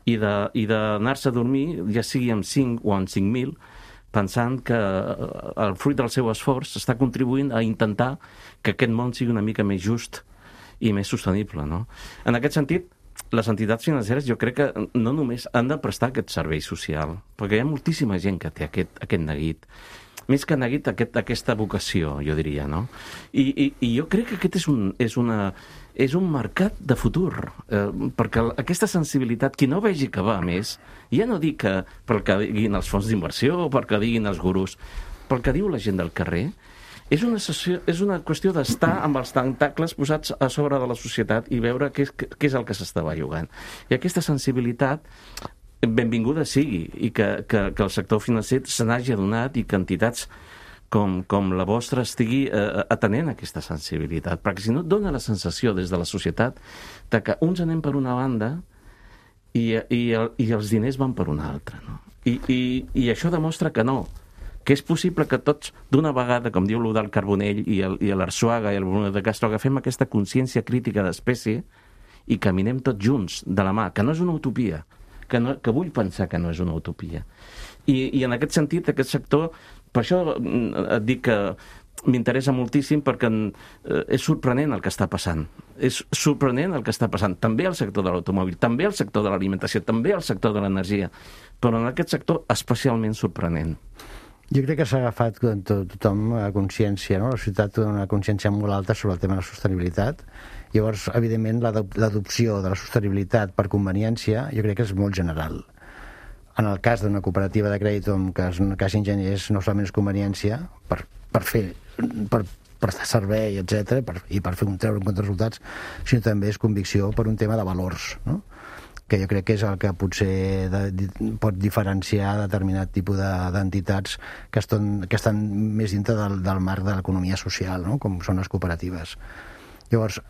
[SPEAKER 6] I d'anar-se a dormir, ja sigui amb 5 o amb 5.000, pensant que el fruit del seu esforç està contribuint a intentar que aquest món sigui una mica més just i més sostenible, no? En aquest sentit, les entitats financeres jo crec que no només han de prestar aquest servei social, perquè hi ha moltíssima gent que té aquest neguit. Més que neguit, aquesta vocació, jo diria, no? I jo crec que aquest és un mercat de futur, perquè aquesta sensibilitat, qui no vegi que va més, ja no dic pel que diguin els fons d'inversió o pel que diguin els gurus, pel que diu la gent del carrer, és una qüestió d'estar amb els tentacles posats a sobre de la societat i veure què és el que s'està bellugant. I aquesta sensibilitat benvinguda sigui, i que el sector financer se n'hagi adonat i que entitats com la vostra estigui atenent aquesta sensibilitat, perquè si no et dona la sensació des de la societat de que uns anem per una banda i els diners van per una altra, no? I això demostra que no, que és possible que tots d'una vegada, com diu l'Eudald Carbonell i l'Arsuaga i el Bruno de Castro, agafem aquesta consciència crítica d'espècie i caminem tots junts de la mà, que no és una utopia, que vull pensar que no és una utopia. I en aquest sentit, aquest sector, per això et dic que m'interessa moltíssim, perquè és sorprenent el que està passant. És sorprenent el que està passant. També al sector de l'automòbil, també al sector de l'alimentació, també al sector de l'energia, però en aquest sector especialment sorprenent.
[SPEAKER 7] Jo crec que s'ha agafat tothom a consciència, no? La societat té una consciència molt alta sobre el tema de la sostenibilitat. Llavors, evidentment, l'adopció de la sostenibilitat per conveniència jo crec que és molt general. En el cas d'una cooperativa de crèdit on cas enginyers no solament és conveniència per prestar servei, etc., i per treure en compte resultats, sinó també és convicció per un tema de valors, no? Que jo crec que és el que potser pot diferenciar determinat tipus d'entitats que estan més dintre del marc de l'economia social, no? Com són les cooperatives. Llavors,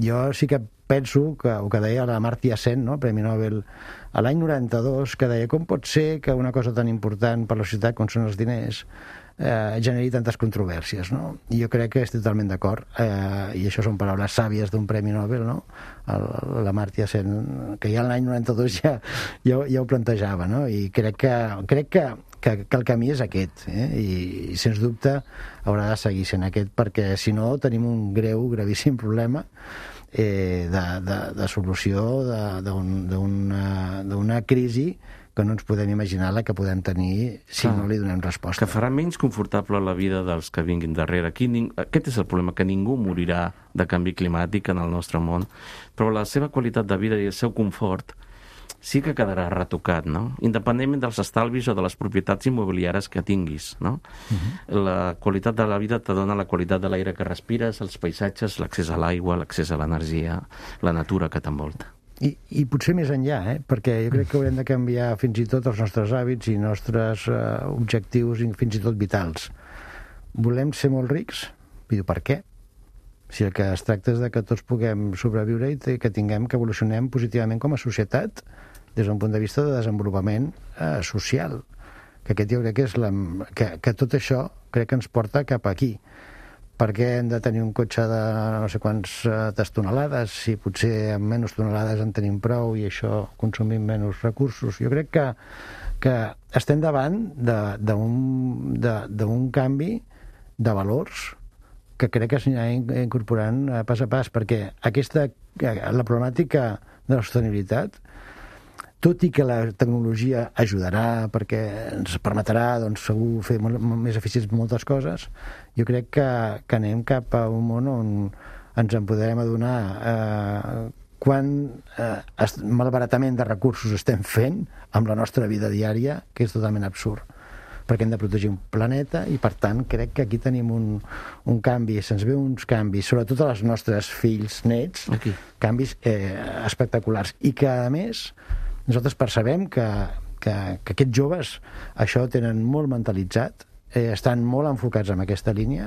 [SPEAKER 7] jo sí que penso que el que deia la Amartya Sen, no? Premi Nobel, a l'any 92, que deia com pot ser que una cosa tan important per la societat com són els diners generi tantes controvèrsies, no? I jo crec que estic totalment d'acord, i això són paraules sàvies d'un Premi Nobel, no? L'Amartya Sen, que ja l'any 92 ja ho plantejava, no? I crec que el camí és aquest, i sens dubte haurà de seguir sent aquest, perquè si no tenim un gravíssim problema de solució d'una crisi que no ens podem imaginar la que podem tenir si no li donem resposta.
[SPEAKER 6] Que farà menys confortable la vida dels que vinguin darrere. Aquest és el problema, que ningú morirà de canvi climàtic en el nostre món, però la seva qualitat de vida i el seu confort sí que quedarà retocat, no? Independentment dels estalvis o de les propietats immobiliàries que tinguis, no? La qualitat de la vida te dona la qualitat de l'aire que respires, els paisatges, l'accés a l'aigua, l'accés a l'energia, la natura que t'envolta.
[SPEAKER 7] I potser més enllà, perquè jo crec que haurem de canviar fins i tot els nostres hàbits i nostres objectius, fins i tot vitals. Volem ser molt rics? Però per què? Si el que es tracta és de que tots puguem sobreviure i que tinguem, que evolucionem positivament com a societat des d'un punt de vista de desenvolupament social. Que aquest jo crec que és que tot això crec que ens porta cap aquí. Per què hem de tenir un cotxe de no sé quantes tonelades si potser amb menys tonelades en tenim prou i això consumim menys recursos? Jo crec que estem davant d'un canvi de valors que crec que s'anirà incorporant pas a pas, perquè la problemàtica de la sostenibilitat, tot i que la tecnologia ajudarà perquè ens permetrà, doncs, segur fer més eficients moltes coses, jo crec que anem cap a un món on ens en podrem adonar quant malbaratament de recursos estem fent amb la nostra vida diària, que és totalment absurd, perquè hem de protegir un planeta i, per tant, crec que aquí tenim un canvi, se'ns ve uns canvis, sobretot als nostres fills, nets, canvis espectaculars, i que, a més, nosaltres percebem que aquests joves això ho tenen molt mentalitzat, estan molt enfocats en aquesta línia,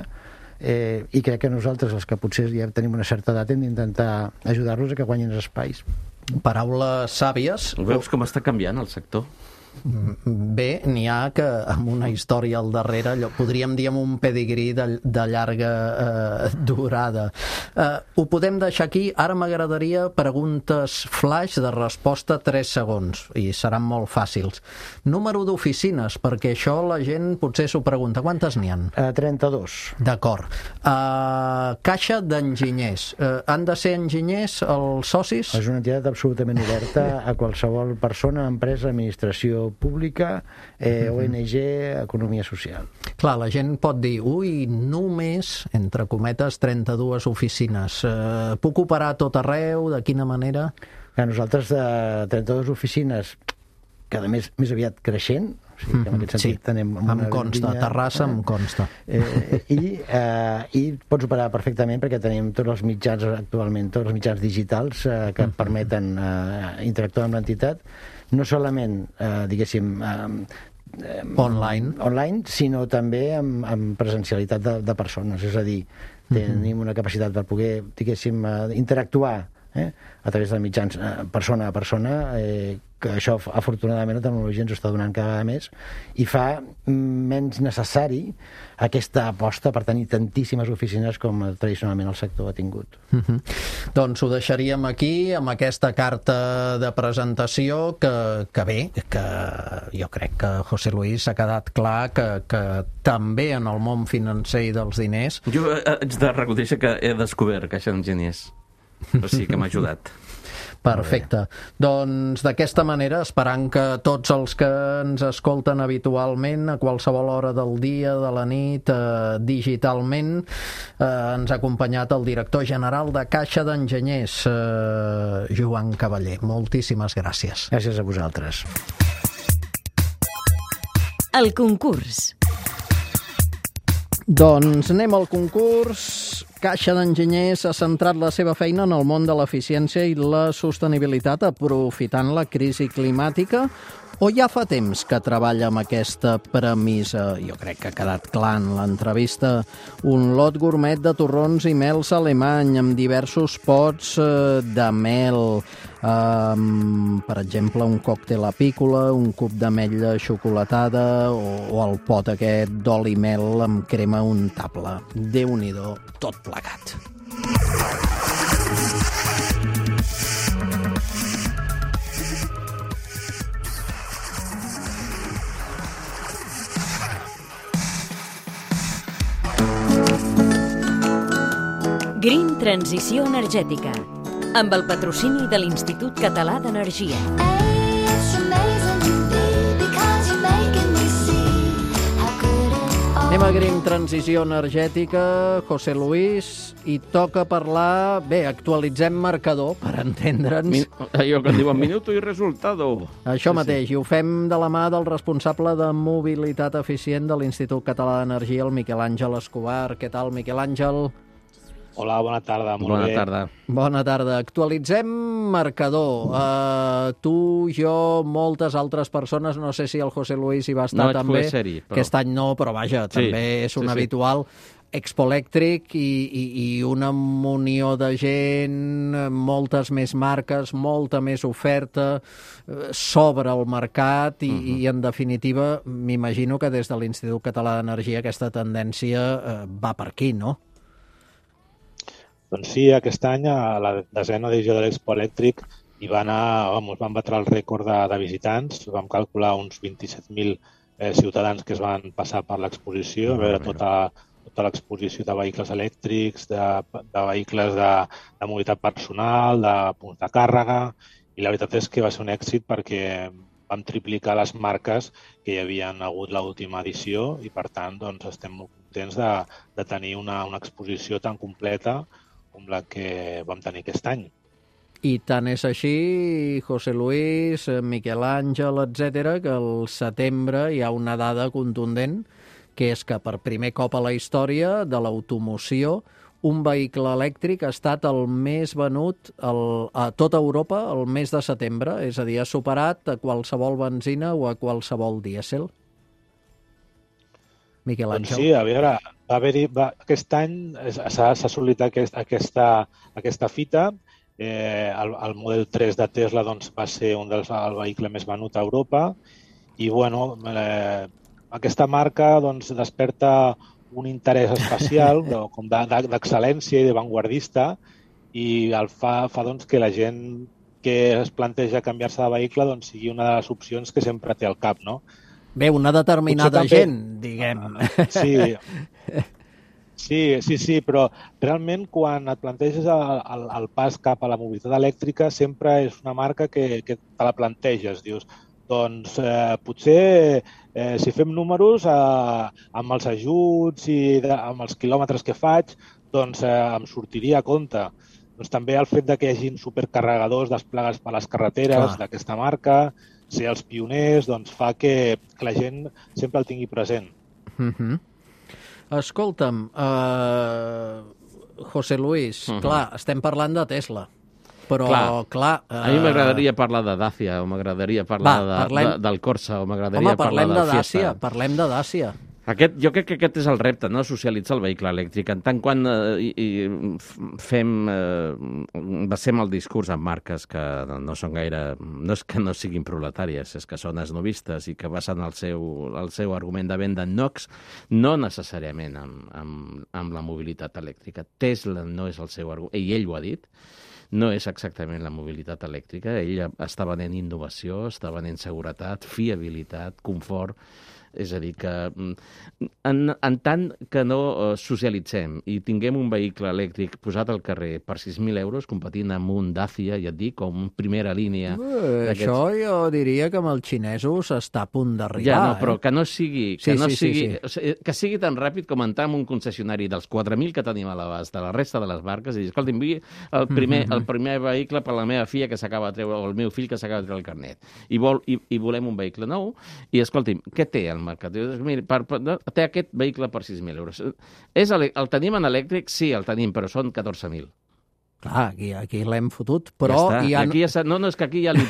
[SPEAKER 7] i crec que nosaltres, els que potser ja tenim una certa edat, hem d'intentar ajudar-los a que guanyin espais.
[SPEAKER 3] Paraules sàvies.
[SPEAKER 6] Veus com està canviant el sector?
[SPEAKER 3] Bé, n'hi ha que amb una història al darrere, podríem dir amb un pedigrí de llarga durada. Ho podem deixar aquí. Ara m'agradaria preguntes flash de resposta 3 segons, i seran molt fàcils. Número d'oficines, perquè això la gent potser s'ho pregunta. Quantes n'hi ha?
[SPEAKER 7] 32.
[SPEAKER 3] D'acord. Caixa d'enginyers. Han de ser enginyers els socis?
[SPEAKER 7] És una entitat absolutament oberta a qualsevol persona, empresa, administració pública, ONG, economia social.
[SPEAKER 3] Clar, la gent pot dir, només, entre cometes, 32 oficines. Puc operar a tot arreu? De quina manera?
[SPEAKER 7] Nosaltres, 32 oficines, cada mes més aviat creixent, o sigui que en aquest sentit tenem...
[SPEAKER 3] Em consta, a Terrassa em consta.
[SPEAKER 7] I pots operar perfectament perquè tenim tots els mitjans actualment, tots els mitjans digitals que permeten interactuar amb l'entitat, no solament, diguéssim, online, sinó també amb presencialitat de persones, és a dir, tenim una capacitat per poder, diguéssim, interactuar a través de mitjans persona a persona, que això afortunadament la tecnologia ens ho està donant cada vegada més i fa menys necessari aquesta aposta per tenir tantíssimes oficines com tradicionalment el sector ha tingut.
[SPEAKER 3] Doncs ho deixaríem aquí amb aquesta carta de presentació que bé, que jo crec que José Luis ha quedat clar que també en el món financer i dels diners...
[SPEAKER 6] Jo haig de reconèixer que he descobert Caixa d'Enginyers. O sigui que m'ha ajudat.
[SPEAKER 3] Perfecte. Doncs d'aquesta manera, esperant que tots els que ens escolten habitualment a qualsevol hora del dia, de la nit, digitalment, ens ha acompanyat el director general de Caixa d'Enginyers, Joan Cavaller. Moltíssimes gràcies.
[SPEAKER 7] Gràcies a vosaltres.
[SPEAKER 1] El concurs.
[SPEAKER 3] Doncs anem al concurs. Caixa d'Enginyers ha centrat la seva feina en el món de l'eficiència i la sostenibilitat aprofitant la crisi climàtica, o ja fa temps que treballa amb aquesta premissa? Jo crec que ha quedat clar en l'entrevista. Un lot gourmet de torrons i mels alemany amb diversos pots de mel. Per exemple, un còctel apícola, un cub d'ametlla xocolatada o el pot aquest d'oli mel amb crema untable. Déu-n'hi-do, tot plegat.
[SPEAKER 1] Green Transició Energètica, amb el patrocini de l'Institut Català d'Energia.
[SPEAKER 3] Anem a Green Transició Energètica, José Luis, i toca parlar... Bé, actualitzem marcador, per entendre'ns.
[SPEAKER 6] Allò que diuen minuto i resultado.
[SPEAKER 3] Això mateix, i ho fem de la mà del responsable de mobilitat eficient de l'Institut Català d'Energia, el Miquel Àngel Escobar. Què tal, Miquel Àngel?
[SPEAKER 8] Hola, bona tarda. Molt bé.
[SPEAKER 6] Tarda.
[SPEAKER 3] Bona tarda. Actualitzem marcador. Tu, jo, moltes altres persones, no sé si el José Luis hi va estar també.
[SPEAKER 6] Però...
[SPEAKER 3] Aquest any no, però vaja, també és un habitual. Expo Elèctric i una munió de gent, moltes més marques, molta més oferta, sobre el mercat i en definitiva, m'imagino que des de l'Institut Català d'Energia aquesta tendència va per aquí, no?
[SPEAKER 8] Doncs sí, aquest any a la 10ª edició de l'Expo Elèctric hi va anar, vam batre el rècord de visitants, vam calcular uns 27.000 ciutadans que es van passar per l'exposició, a veure tota l'exposició de vehicles elèctrics, de vehicles de mobilitat personal, de punts de càrrega, i la veritat és que va ser un èxit perquè vam triplicar les marques que hi havien hagut l'última edició i, per tant, doncs, estem molt contents de tenir una exposició tan completa com la que vam tenir aquest any.
[SPEAKER 3] I tant és així, José Luis, Miquel Àngel, etc., que al setembre hi ha una dada contundent, que és que per primer cop a la història de l'automoció un vehicle elèctric ha estat el més venut a tota Europa el mes de setembre, és a dir, ha superat a qualsevol benzina o a qualsevol dièsel. Miquel Àngel.
[SPEAKER 8] Doncs sí, a veure, aquest any s'ha assolit aquesta fita. El model 3 de Tesla doncs, va ser el vehicle més venut a Europa i bueno, aquesta marca doncs, desperta un interès especial com d'excel·lència i d'avantguardista i el fa doncs, que la gent que es planteja canviar-se de vehicle doncs, sigui una de les opcions que sempre té al cap, no?
[SPEAKER 3] Bé, una determinada gent, diguem.
[SPEAKER 8] Sí, però realment quan et planteges el pas cap a la mobilitat elèctrica sempre és una marca que te la planteges. Dius, doncs potser si fem números amb els ajuts i amb els quilòmetres que faig, doncs em sortiria a compte. Doncs també el fet que hi hagi supercarregadors desplegats per les carreteres d'aquesta marca, ser els pioners, doncs fa que la gent sempre el tingui present.
[SPEAKER 3] Escolta'm, José Luis, clar, estem parlant de Tesla, però clar...
[SPEAKER 6] A mi m'agradaria parlar de Dacia, o m'agradaria parlar del Corsa, o m'agradaria parlar del Fiesta.
[SPEAKER 3] Parlem de Dacia.
[SPEAKER 6] Jo crec que aquest és el repte, no? Socialitzar el vehicle elèctric. En tant quan basem el discurs en marques que no són gaire... No és que no siguin proletàries, és que són esnovistes i que basen el seu argument de venda en NOx, no necessàriament amb la mobilitat elèctrica. Tesla no és el seu argument, i ell ho ha dit, no és exactament la mobilitat elèctrica. Ell està venent innovació, està venent seguretat, fiabilitat, confort, És a dir, que en tant que no socialitzem i tinguem un vehicle elèctric posat al carrer per 6.000 euros, competint amb un Dacia, ja et dic, o un primera línia...
[SPEAKER 3] Això jo diria que amb els xinesos està a punt d'arribar.
[SPEAKER 6] Ja, no, però que no sigui...
[SPEAKER 3] Sí.
[SPEAKER 6] Que sigui tan ràpid com entrar en un concessionari dels 4.000 que tenim a l'abast de la resta de les marques i dir, escolta, enviï el primer vehicle per la meva filla que s'acaba de treure, o el meu fill que s'acaba de treure el carnet. I volem un vehicle nou. I, escolti'm, què té al mercat? Mira, té aquest vehicle per 6.000 euros. El tenim en elèctric? Sí, el tenim, però són 14.000.
[SPEAKER 3] Clar, aquí l'hem fotut, però...
[SPEAKER 6] Ja està. És que aquí ja li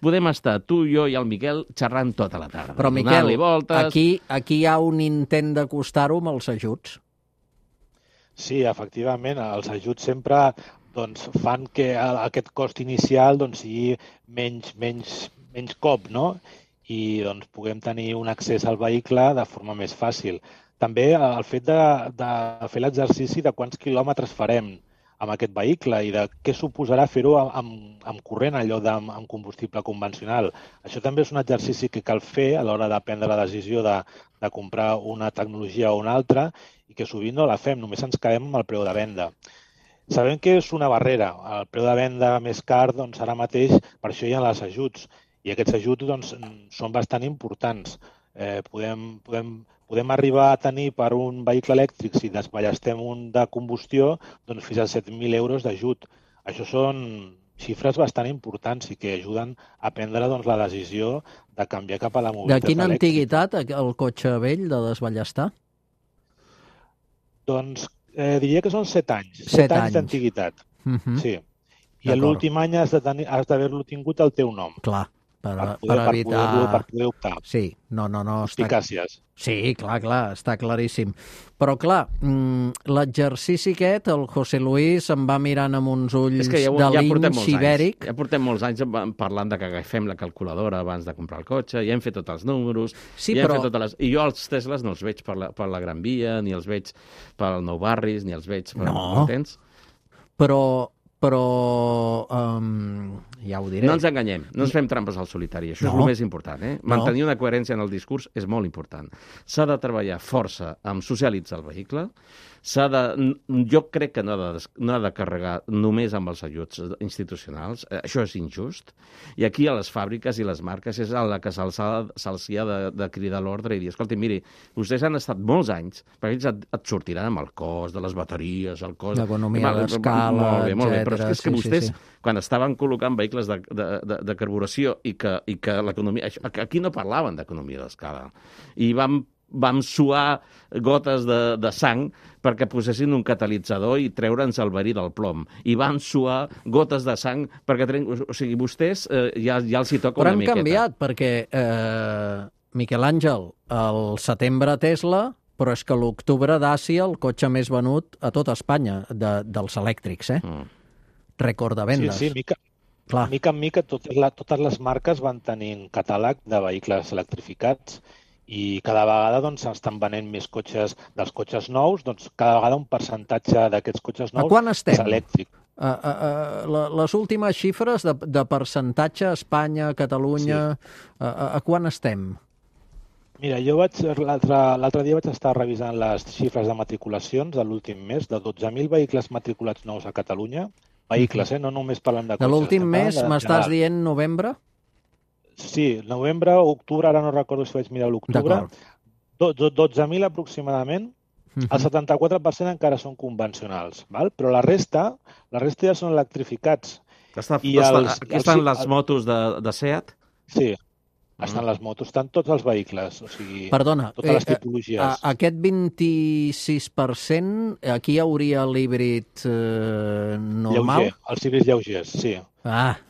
[SPEAKER 6] podem estar, tu, jo i el Miquel, xerrant tota la tarda.
[SPEAKER 3] Però, Miquel, aquí hi ha un intent d'acostar-ho amb els ajuts.
[SPEAKER 8] Sí, efectivament, els ajuts sempre fan que aquest cost inicial sigui menys cop, no? I puguem tenir un accés al vehicle de forma més fàcil. També el fet de fer l'exercici de quants quilòmetres farem amb aquest vehicle i de què suposarà fer-ho amb corrent en lloc amb combustible convencional. Això també és un exercici que cal fer a l'hora de prendre la decisió de comprar una tecnologia o una altra i que sovint no la fem, només ens quedem amb el preu de venda. Sabem que és una barrera. El preu de venda més car, ara mateix, per això hi ha els ajuts. I aquests ajuts són bastant importants. Podem arribar a tenir per un vehicle elèctric, si desballestem un de combustió, fins a 7.000 euros d'ajut. Això són xifres bastant importants i que ajuden a prendre la decisió de canviar cap a la mobilitat elèctrica.
[SPEAKER 3] De quina antiguitat el cotxe vell de desballestar?
[SPEAKER 8] Diria que són 7 anys. 7 anys d'antiguitat. Sí. I l'últim any has d'haver-lo tingut al teu nom.
[SPEAKER 3] Clar. Per evitar...
[SPEAKER 8] Per poder optar.
[SPEAKER 3] Sí, no.
[SPEAKER 8] Eficàcies.
[SPEAKER 3] Sí, clar, està claríssim. Però, clar, l'exercici aquest, el José Luis se'n va mirant amb uns ulls de linx ibèric.
[SPEAKER 6] Ja portem molts anys parlant de que agafem la calculadora abans de comprar el cotxe, ja hem fet tots els números, i jo els Teslas no els veig per la Gran Via, ni els veig pel Nou Barris, ni els veig per...
[SPEAKER 3] No, però ja ho diré.
[SPEAKER 6] No ens enganyem, no ens fem trampes al solitari, això és el més important. Mantenir una coherència en el discurs és molt important. S'ha de treballar força amb socialitzar el vehicle, jo crec que no ha de carregar només amb els ajuts institucionals, això és injust, i aquí a les fàbriques i les marques és a la que se'ls ha de cridar l'ordre i dir, escolta, miri, vostès han estat molts anys, perquè ells et sortiran amb el cost de les bateries, el cost...
[SPEAKER 3] L'economia d'escala,
[SPEAKER 6] etcètera. Però és que vostès, quan estaven col·locant vehicles de carburació i que l'economia... Aquí no parlaven d'economia d'escala. I vam suar gotes de sang perquè posessin un catalitzador i treure'ns el verí del plom. I van suar gotes de sang perquè... O sigui, vostès ja els hi toca una miqueta.
[SPEAKER 3] Però han canviat, perquè, Miquel Àngel, el setembre Tesla, però és que l'octubre Dacia, el cotxe més venut a tota Espanya, dels elèctrics, Rècord de vendes.
[SPEAKER 8] Sí, mica en mica totes les marques van tenint catàleg de vehicles electrificats i cada vegada estan venent més cotxes dels cotxes nous, cada vegada un percentatge d'aquests cotxes nous és elèctric.
[SPEAKER 3] Les últimes xifres de percentatge a Espanya, a Catalunya, a quan estem?
[SPEAKER 8] Mira, jo l'altre dia vaig estar revisant les xifres de matriculacions de l'últim mes, de 12.000 vehicles matriculats nous a Catalunya, vehicles, no només parlem de cotxes.
[SPEAKER 3] De l'últim mes m'estàs dient novembre?
[SPEAKER 8] Sí, novembre o octubre, ara no recordo si vaig mirar l'octubre, 12.000 aproximadament, el 74% encara són convencionals, però la resta ja són electrificats.
[SPEAKER 6] Aquí estan les motos de SEAT?
[SPEAKER 8] Sí, estan les motos, estan tots els vehicles, o sigui,
[SPEAKER 3] perdona,
[SPEAKER 8] totes les tipologies.
[SPEAKER 3] Aquest 26%, aquí hi hauria l'híbrid normal?
[SPEAKER 8] Lleuger, els híbrids lleugers, sí.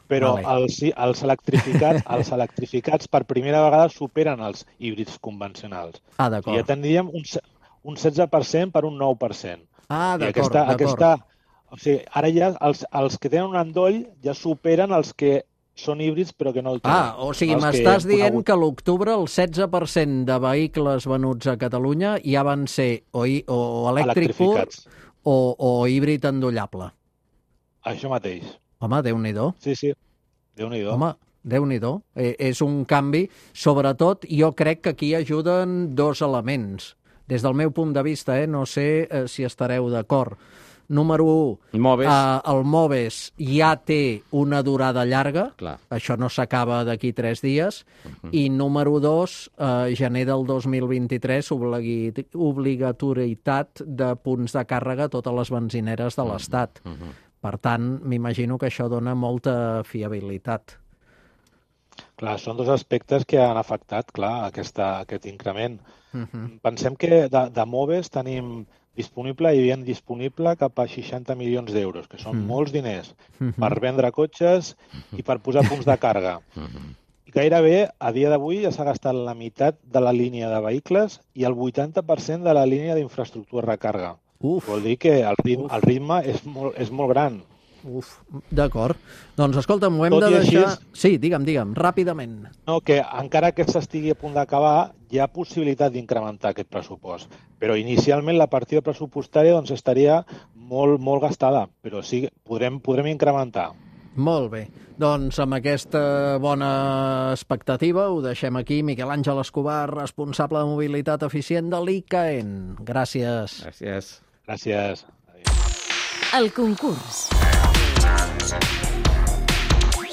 [SPEAKER 8] Però els electrificats per primera vegada superen els híbrids convencionals.
[SPEAKER 3] D'acord.
[SPEAKER 8] Ja tindríem un 16% per un 9%.
[SPEAKER 3] D'acord.
[SPEAKER 8] O sigui, ara ja els que tenen un endoll ja superen els que són híbrids però que no el tenen.
[SPEAKER 3] O sigui, m'estàs dient que a l'octubre el 16% de vehicles venuts a Catalunya ja van ser o elèctric pur o híbrid endollable.
[SPEAKER 8] Això mateix.
[SPEAKER 3] Home, Déu-n'hi-do.
[SPEAKER 8] Sí, Déu-n'hi-do.
[SPEAKER 3] Home, Déu-n'hi-do. És un canvi. Sobretot, jo crec que aquí ajuden dos elements. Des del meu punt de vista, no sé si estareu d'acord. Número 1, el Moves ja té una durada llarga, això no s'acaba d'aquí 3 dies, i número 2, gener del 2023, obligatorietat de punts de càrrega a totes les benzineres de l'Estat. Per tant, m'imagino que això dona molta fiabilitat.
[SPEAKER 8] Clar, són dos aspectes que han afectat, aquest increment. Pensem que de Moves tenim disponible, hi havia disponible cap a 60 milions d'euros, que són molts diners, per vendre cotxes i per posar punts de càrrega. I gairebé, a dia d'avui, ja s'ha gastat la meitat de la línia de vehicles i el 80% de la línia d'infraestructura de recàrrega. Vol dir que el ritme és molt gran.
[SPEAKER 3] D'acord. Doncs, escolta'm, ho hem de deixar... Sí, digue'm, ràpidament.
[SPEAKER 8] No, que encara que s'estigui a punt d'acabar, hi ha possibilitat d'incrementar aquest pressupost. Però inicialment la partida pressupostària estaria molt gastada, però sí, podrem incrementar.
[SPEAKER 3] Molt bé. Doncs amb aquesta bona expectativa ho deixem aquí. Miquel Àngel Escobar, responsable de mobilitat eficient de l'ICAEN. Gràcies.
[SPEAKER 8] Gràcies.
[SPEAKER 1] El concurs.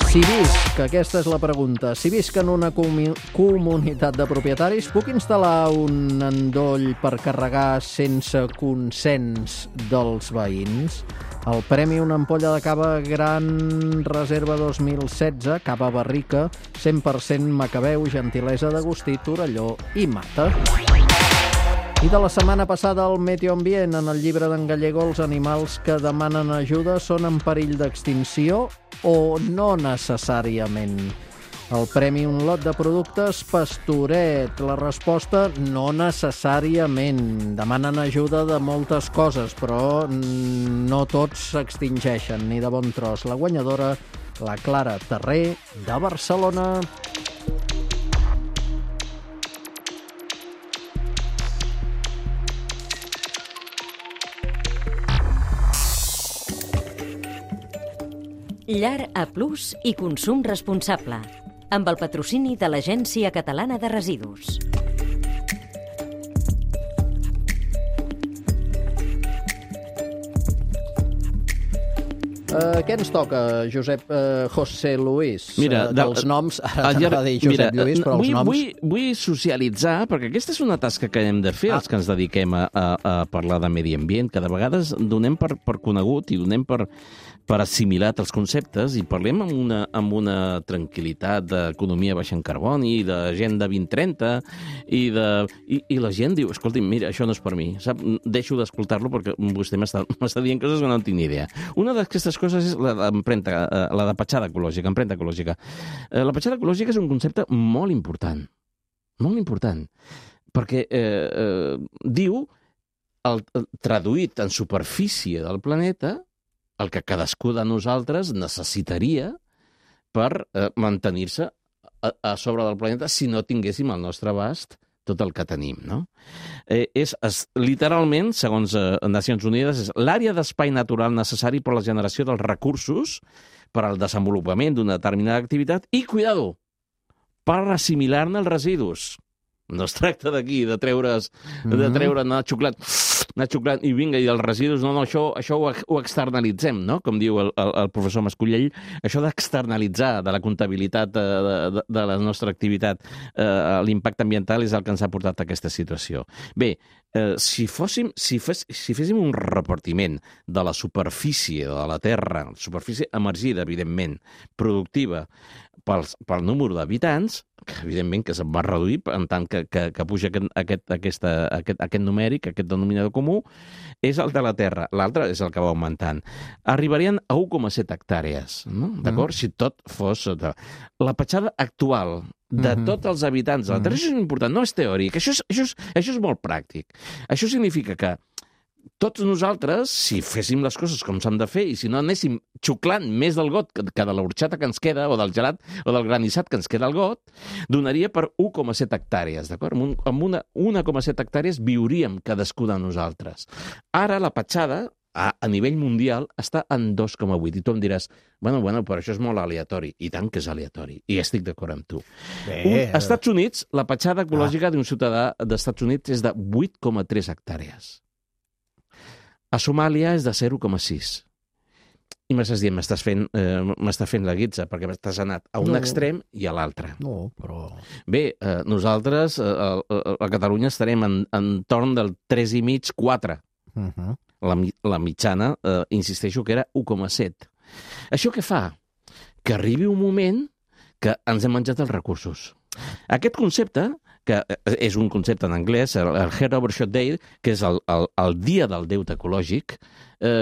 [SPEAKER 3] Si visc, aquesta és la pregunta, si visc en una comunitat de propietaris, puc instal·lar un endoll per carregar sense consens dels veïns? El premi, una ampolla de cava Gran Reserva 2016, cava barrica, 100% Macabeu, gentilesa d'Agustí, Torelló i Mata. I de la setmana passada, al Medio Ambient, en el llibre d'en Gallego, els animals que demanen ajuda són en perill d'extinció o no necessàriament? El premi, un lot de productes Pastoret. La resposta, no necessàriament. Demanen ajuda de moltes coses, però no tots s'extingeixen, ni de bon tros. La guanyadora, la Clara Terré, de Barcelona.
[SPEAKER 1] Llar A+ i consum responsable, amb el patrocini de l'Agència Catalana de Residus.
[SPEAKER 3] Què ens toca, Josep José Luis?
[SPEAKER 6] Mira,
[SPEAKER 3] dels noms, ara t'anava a dir Josep Lluís, però els noms...
[SPEAKER 6] Vull socialitzar, perquè aquesta és una tasca que hem de fer, els que ens dediquem a parlar de medi ambient, que de vegades donem per conegut i donem per assimilat els conceptes i parlem amb una tranquil·litat d'economia baixa en carboni, d'agenda 2030, i la gent diu, escolti'm, mira, això no és per mi, sap? Deixo d'escoltar-lo perquè vostè m'està dient coses que no en tinc ni idea. Una d'aquestes coses és la de petjada ecològica, empremta ecològica. La petjada ecològica és un concepte molt important, perquè diu, traduït en superfície del planeta, el que cadascú de nosaltres necessitaria per mantenir-se a sobre del planeta si no tinguéssim al nostre abast tot el que tenim, no? Literalment, segons Nacions Unides, és l'àrea d'espai natural necessari per a la generació dels recursos per al desenvolupament d'una determinada activitat i, cuidado, per assimilar-ne els residus. No es tracta d'aquí, de treure, anar xuclant i vinga, i els residus, no, això ho externalitzem, no? Com diu el professor Mascullell, això d'externalitzar de la comptabilitat de la nostra activitat l'impacte ambiental és el que ens ha portat a aquesta situació. Bé, si féssim un repartiment de la superfície de la Terra, superfície emergida, evidentment, productiva, pel número d'habitants, que evidentment que se'n va reduir en tant que puja aquest numèric, aquest denominador comú, és el de la Terra. L'altre és el que va augmentant. Arribarien a 1,7 hectàrees, no? D'acord? Si tot fos... La petjada actual de tots els habitants de la Terra, això és important, no és teòric, això és molt pràctic. Això significa que tots nosaltres, si féssim les coses com s'han de fer i si no anéssim xuclant més del got que de l'orxata que ens queda o del gelat o del granissat que ens queda al got, donaria per 1,7 hectàrees, d'acord? Amb una 1,7 hectàrees viuríem cadascú de nosaltres. Ara la petjada a nivell mundial està en 2,8. I tu em diràs, bueno, però això és molt aleatori. I tant que és aleatori. I estic d'acord amb tu. Als Estats Units, la petjada ecològica d'un ciutadà dels Estats Units és de 8,3 hectàrees. A Somàlia és de 0,6. I m'estàs dient, m'està fent la guitza, perquè t'has anat a un extrem i a l'altre.
[SPEAKER 3] No, però...
[SPEAKER 6] Bé, nosaltres a Catalunya estarem entorn del 3,5-4. La mitjana, insisteixo, que era 1,7. Això què fa? Que arribi un moment que ens hem menjat els recursos. Aquest concepte, que és un concepte en anglès, el Head Overshot Day, que és el dia del deute ecològic,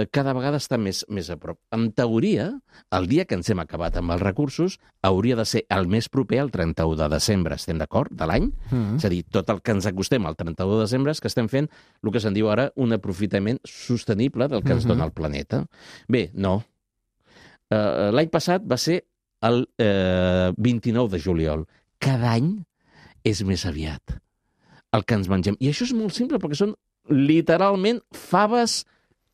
[SPEAKER 6] cada vegada està més a prop. En teoria, el dia que ens hem acabat amb els recursos hauria de ser el més proper al 31 de desembre, estem d'acord, de l'any? És a dir, tot el que ens acostem al 31 de desembre és que estem fent el que se'n diu ara un aprofitament sostenible del que ens dona el planeta. Bé, no. L'any passat va ser el 29 de juliol. Cada any és més aviat el que ens mengem. I això és molt simple, perquè són literalment faves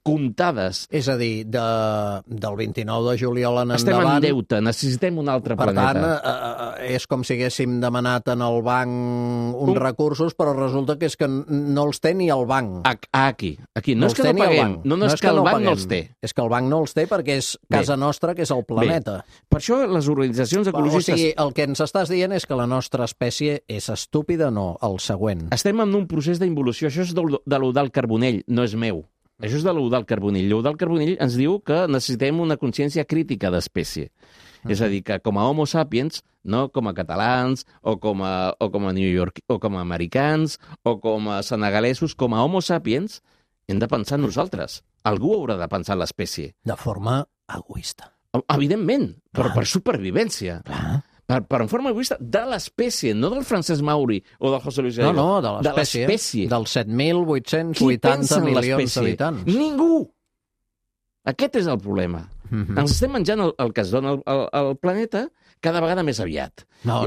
[SPEAKER 6] comptades.
[SPEAKER 3] És a dir, del 29 de juliol en
[SPEAKER 6] Estem
[SPEAKER 3] endavant...
[SPEAKER 6] en deute, necessitem un altre planeta.
[SPEAKER 3] Per tant, és com si haguéssim demanat en el banc uns recursos, però resulta que és que no els té ni el banc.
[SPEAKER 6] Aquí. No és que no paguem, no és que el banc no els té.
[SPEAKER 3] És que el banc no els té perquè és casa nostra, que és el planeta.
[SPEAKER 6] Per això les organitzacions ecologistes...
[SPEAKER 3] O sigui, el que ens estàs dient és que la nostra espècie és estúpida, no, el següent.
[SPEAKER 6] Estem en un procés d'involució. Això és de l'Eudald Carbonell, no és meu. Això és de l'Eudald Carbonell. L'Eudald Carbonell ens diu que necessitem una consciència crítica d'espècie. És a dir, que com a homo sapiens, no com a catalans, o com a New York, o com a americans, o com a senegalesos, com a homo sapiens, hem de pensar en nosaltres. Algú haurà de pensar en l'espècie.
[SPEAKER 3] De forma egoista.
[SPEAKER 6] Evidentment, per supervivència.
[SPEAKER 3] Clar.
[SPEAKER 6] Per en forma egoista de l'espècie, no del Francesc Mauri o del José Luis Gallego.
[SPEAKER 3] No, de l'espècie. Dels 7.880 milions d'habitants.
[SPEAKER 6] Ningú! Aquest és el problema. Ens estem menjant el que es dona al planeta cada vegada més aviat.
[SPEAKER 3] No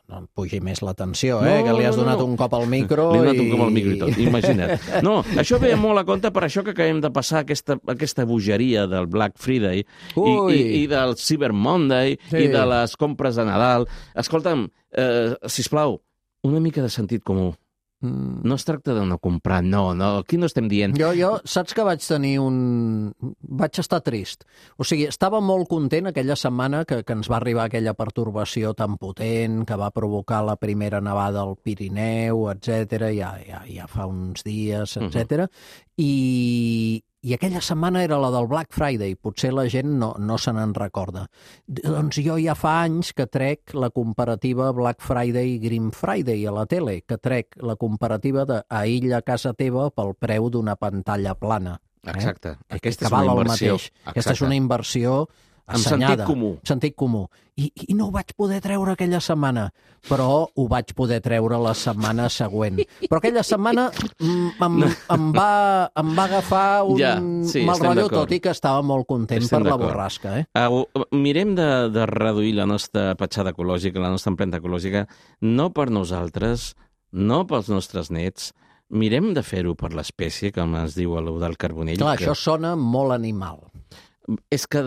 [SPEAKER 3] em pugi més la tensió, que li has donat un cop al micro.
[SPEAKER 6] Li he donat un cop al micro i tot, imagina't. No, això ve molt a compte per això que acabem de passar aquesta bogeria del Black Friday i del Cyber Monday i de les compres de Nadal. Escolta'm, sisplau, una mica de sentit comú. No es tracta de no comprar, no, aquí no estem dient...
[SPEAKER 3] Jo saps que vaig estar trist. O sigui, estava molt content aquella setmana que ens va arribar aquella pertorbació tan potent que va provocar la primera nevada al Pirineu, etc. Ja fa uns dies, etc. I aquella setmana era la del Black Friday. Potser la gent no se n'en recorda. Doncs jo ja fa anys que trec la comparativa Black Friday i Green Friday a la tele, que trec la comparativa d'Aïlla a casa teva pel preu d'una pantalla plana.
[SPEAKER 6] Exacte.
[SPEAKER 3] Aquesta és una inversió. Aquesta és una inversió assenyada. Sentit comú. I no ho vaig poder treure aquella setmana, però ho vaig poder treure la setmana següent. Però aquella setmana em va agafar un mal rotllo, tot i que estava molt content per la borrasca.
[SPEAKER 6] Mirem de reduir la nostra petjada ecològica, la nostra empremta ecològica, no per nosaltres, no pels nostres nets, mirem de fer-ho per l'espècie, com ens diu l'Eudald Carbonell.
[SPEAKER 3] Clar, això sona molt animal.
[SPEAKER 6] És que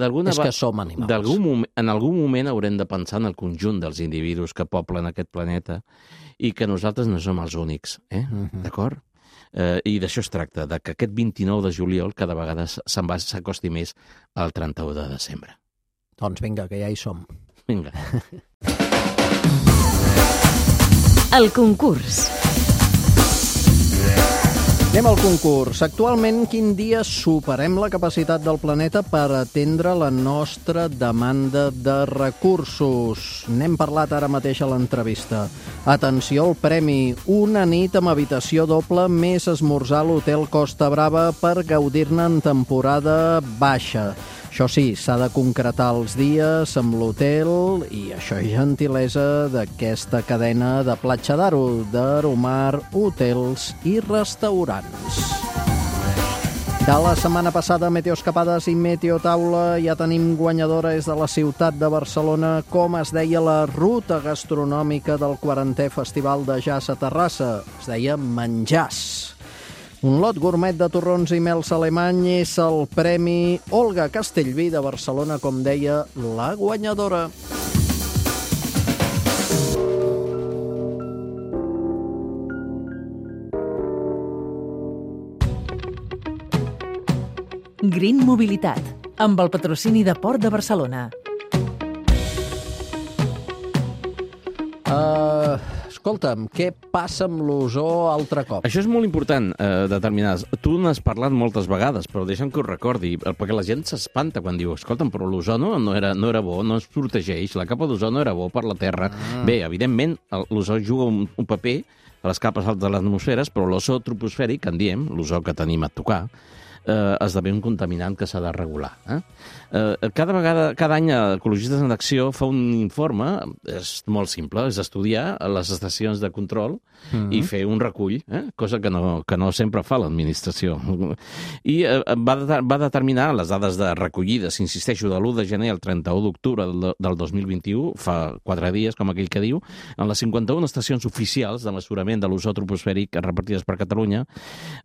[SPEAKER 3] som animals.
[SPEAKER 6] En algun moment haurem de pensar en el conjunt dels individus que poblen aquest planeta i que nosaltres no som els únics, d'acord? I d'això es tracta, que aquest 29 de juliol cada vegada s'acosti més al 31 de desembre.
[SPEAKER 3] Doncs vinga, que ja hi som.
[SPEAKER 6] Vinga.
[SPEAKER 1] El concurs.
[SPEAKER 3] Anem al concurs. Actualment, quin dia superem la capacitat del planeta per atendre la nostra demanda de recursos? N'hem parlat ara mateix a l'entrevista. Atenció al premi. Una nit amb habitació doble més esmorzar a l'hotel Costa Brava per gaudir-ne en temporada baixa. Això sí, s'ha de concretar els dies amb l'hotel i això és gentilesa d'aquesta cadena de Platja d'Aro, d'Aromar, hotels i restaurants. De la setmana passada, Meteoescapades i Meteotaula, ja tenim guanyadora des de la ciutat de Barcelona, com es deia la ruta gastronòmica del 40è Festival de Jazz a Terrassa. Es deia Menjars. Un lot gourmet de torrons i mels alemany és el Premi Olga Castellví de Barcelona, com deia la guanyadora.
[SPEAKER 4] Green Mobilitat, amb el patrocini de Port de Barcelona.
[SPEAKER 3] Escolta'm, què passa amb l'ozó altre cop?
[SPEAKER 6] Això és molt important, determinar. Tu n'has parlat moltes vegades, però deixa'm que ho recordi, perquè la gent s'espanta quan diu, escolta'm, però l'ozó no era bo, no ens protegeix, la capa d'ozó no era bo per la Terra. Bé, evidentment, l'ozó juga un paper a les capes altes de les atmosferes, però l'ozó troposfèric, que en diem, l'ozó que tenim a tocar, esdevé un contaminant que s'ha de regular. Cada any Ecologistes en Acció fa un informe, és molt simple, és estudiar les estacions de control i fer un recull, cosa que no sempre fa l'administració. I va determinar les dades de recollides, insisteixo, de l'1 de gener al 31 d'octubre del 2021, fa 4 dies, com aquell que diu, en les 51 estacions oficials de mesurament de l'ozó troposfèric repartides per Catalunya,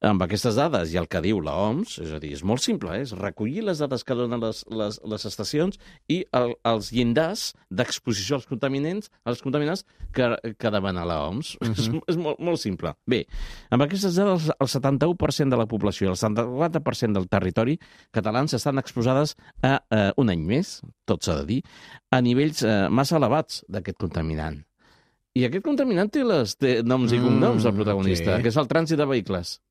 [SPEAKER 6] amb aquestes dades i el que diu l'OMS, és a dir, és molt simple, és recollir les dades que donen les estacions i els llindars d'exposició als contaminants que demana l'OMS. És molt simple. Bé, amb aquestes dades, el 71% de la població i el 74% del territori catalans estan exposades a un any més, tot s'ha de dir, a nivells massa elevats d'aquest contaminant. I aquest contaminant té noms i cognoms del protagonista, que és el trànsit de vehicles.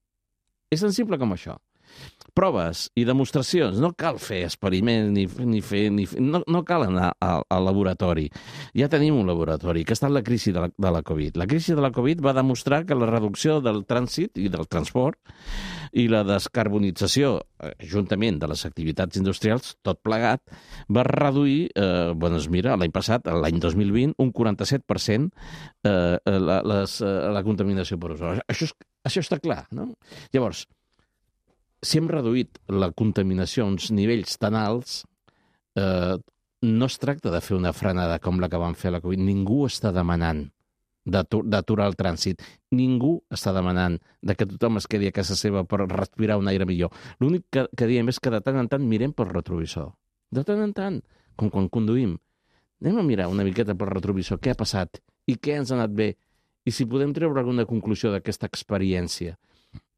[SPEAKER 6] És tan simple com això. Proves i demostracions. No cal fer experiments no cal anar al laboratori. Ja tenim un laboratori, que ha estat la crisi de la Covid. La crisi de la Covid va demostrar que la reducció del trànsit i del transport i la descarbonització, juntament de les activitats industrials, tot plegat, va reduir, l'any passat, l'any 2020, un 47% la contaminació per ozó. Això està clar, no? Llavors, si hem reduït la contaminació a uns nivells tan alts, no es tracta de fer una frenada com la que van fer a la Covid. Ningú està demanant d'aturar el trànsit. Ningú està demanant que tothom es quedi a casa seva per respirar un aire millor. L'únic que diem és que de tant en tant mirem pel retrovisor. De tant en tant, com quan conduïm. Anem a mirar una miqueta pel retrovisor què ha passat i què ens ha anat bé i si podem treure alguna conclusió d'aquesta experiència.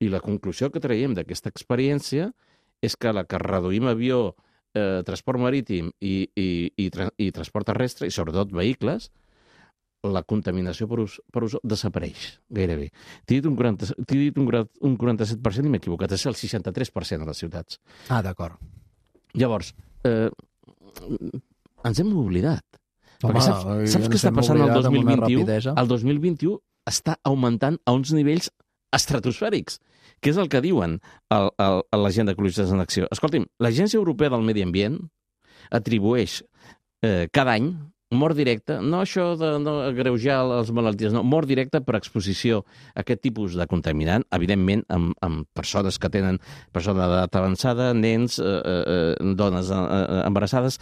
[SPEAKER 6] I la conclusió que traiem d'aquesta experiència és que la que reduïm avió, transport marítim i transport terrestre, i sobretot vehicles, la contaminació per ozó desapareix, gairebé. T'he dit un 47% i m'he equivocat, és el 63% a les ciutats.
[SPEAKER 3] Ah, d'acord.
[SPEAKER 6] Llavors, ens hem oblidat.
[SPEAKER 3] Home,
[SPEAKER 6] saps què està passant el 2021? El 2021 està augmentant a uns nivells estratosfèrics, que és el que diuen a l'Agenda Ecologistes en Acció. Escolti'm, l'Agència Europea del Medi Ambient atribueix cada any mort directa, no això de no agreujar les malalties, no, mort directa per exposició a aquest tipus de contaminant, evidentment amb persones que tenen persona d'edat avançada, nens, dones embarassades,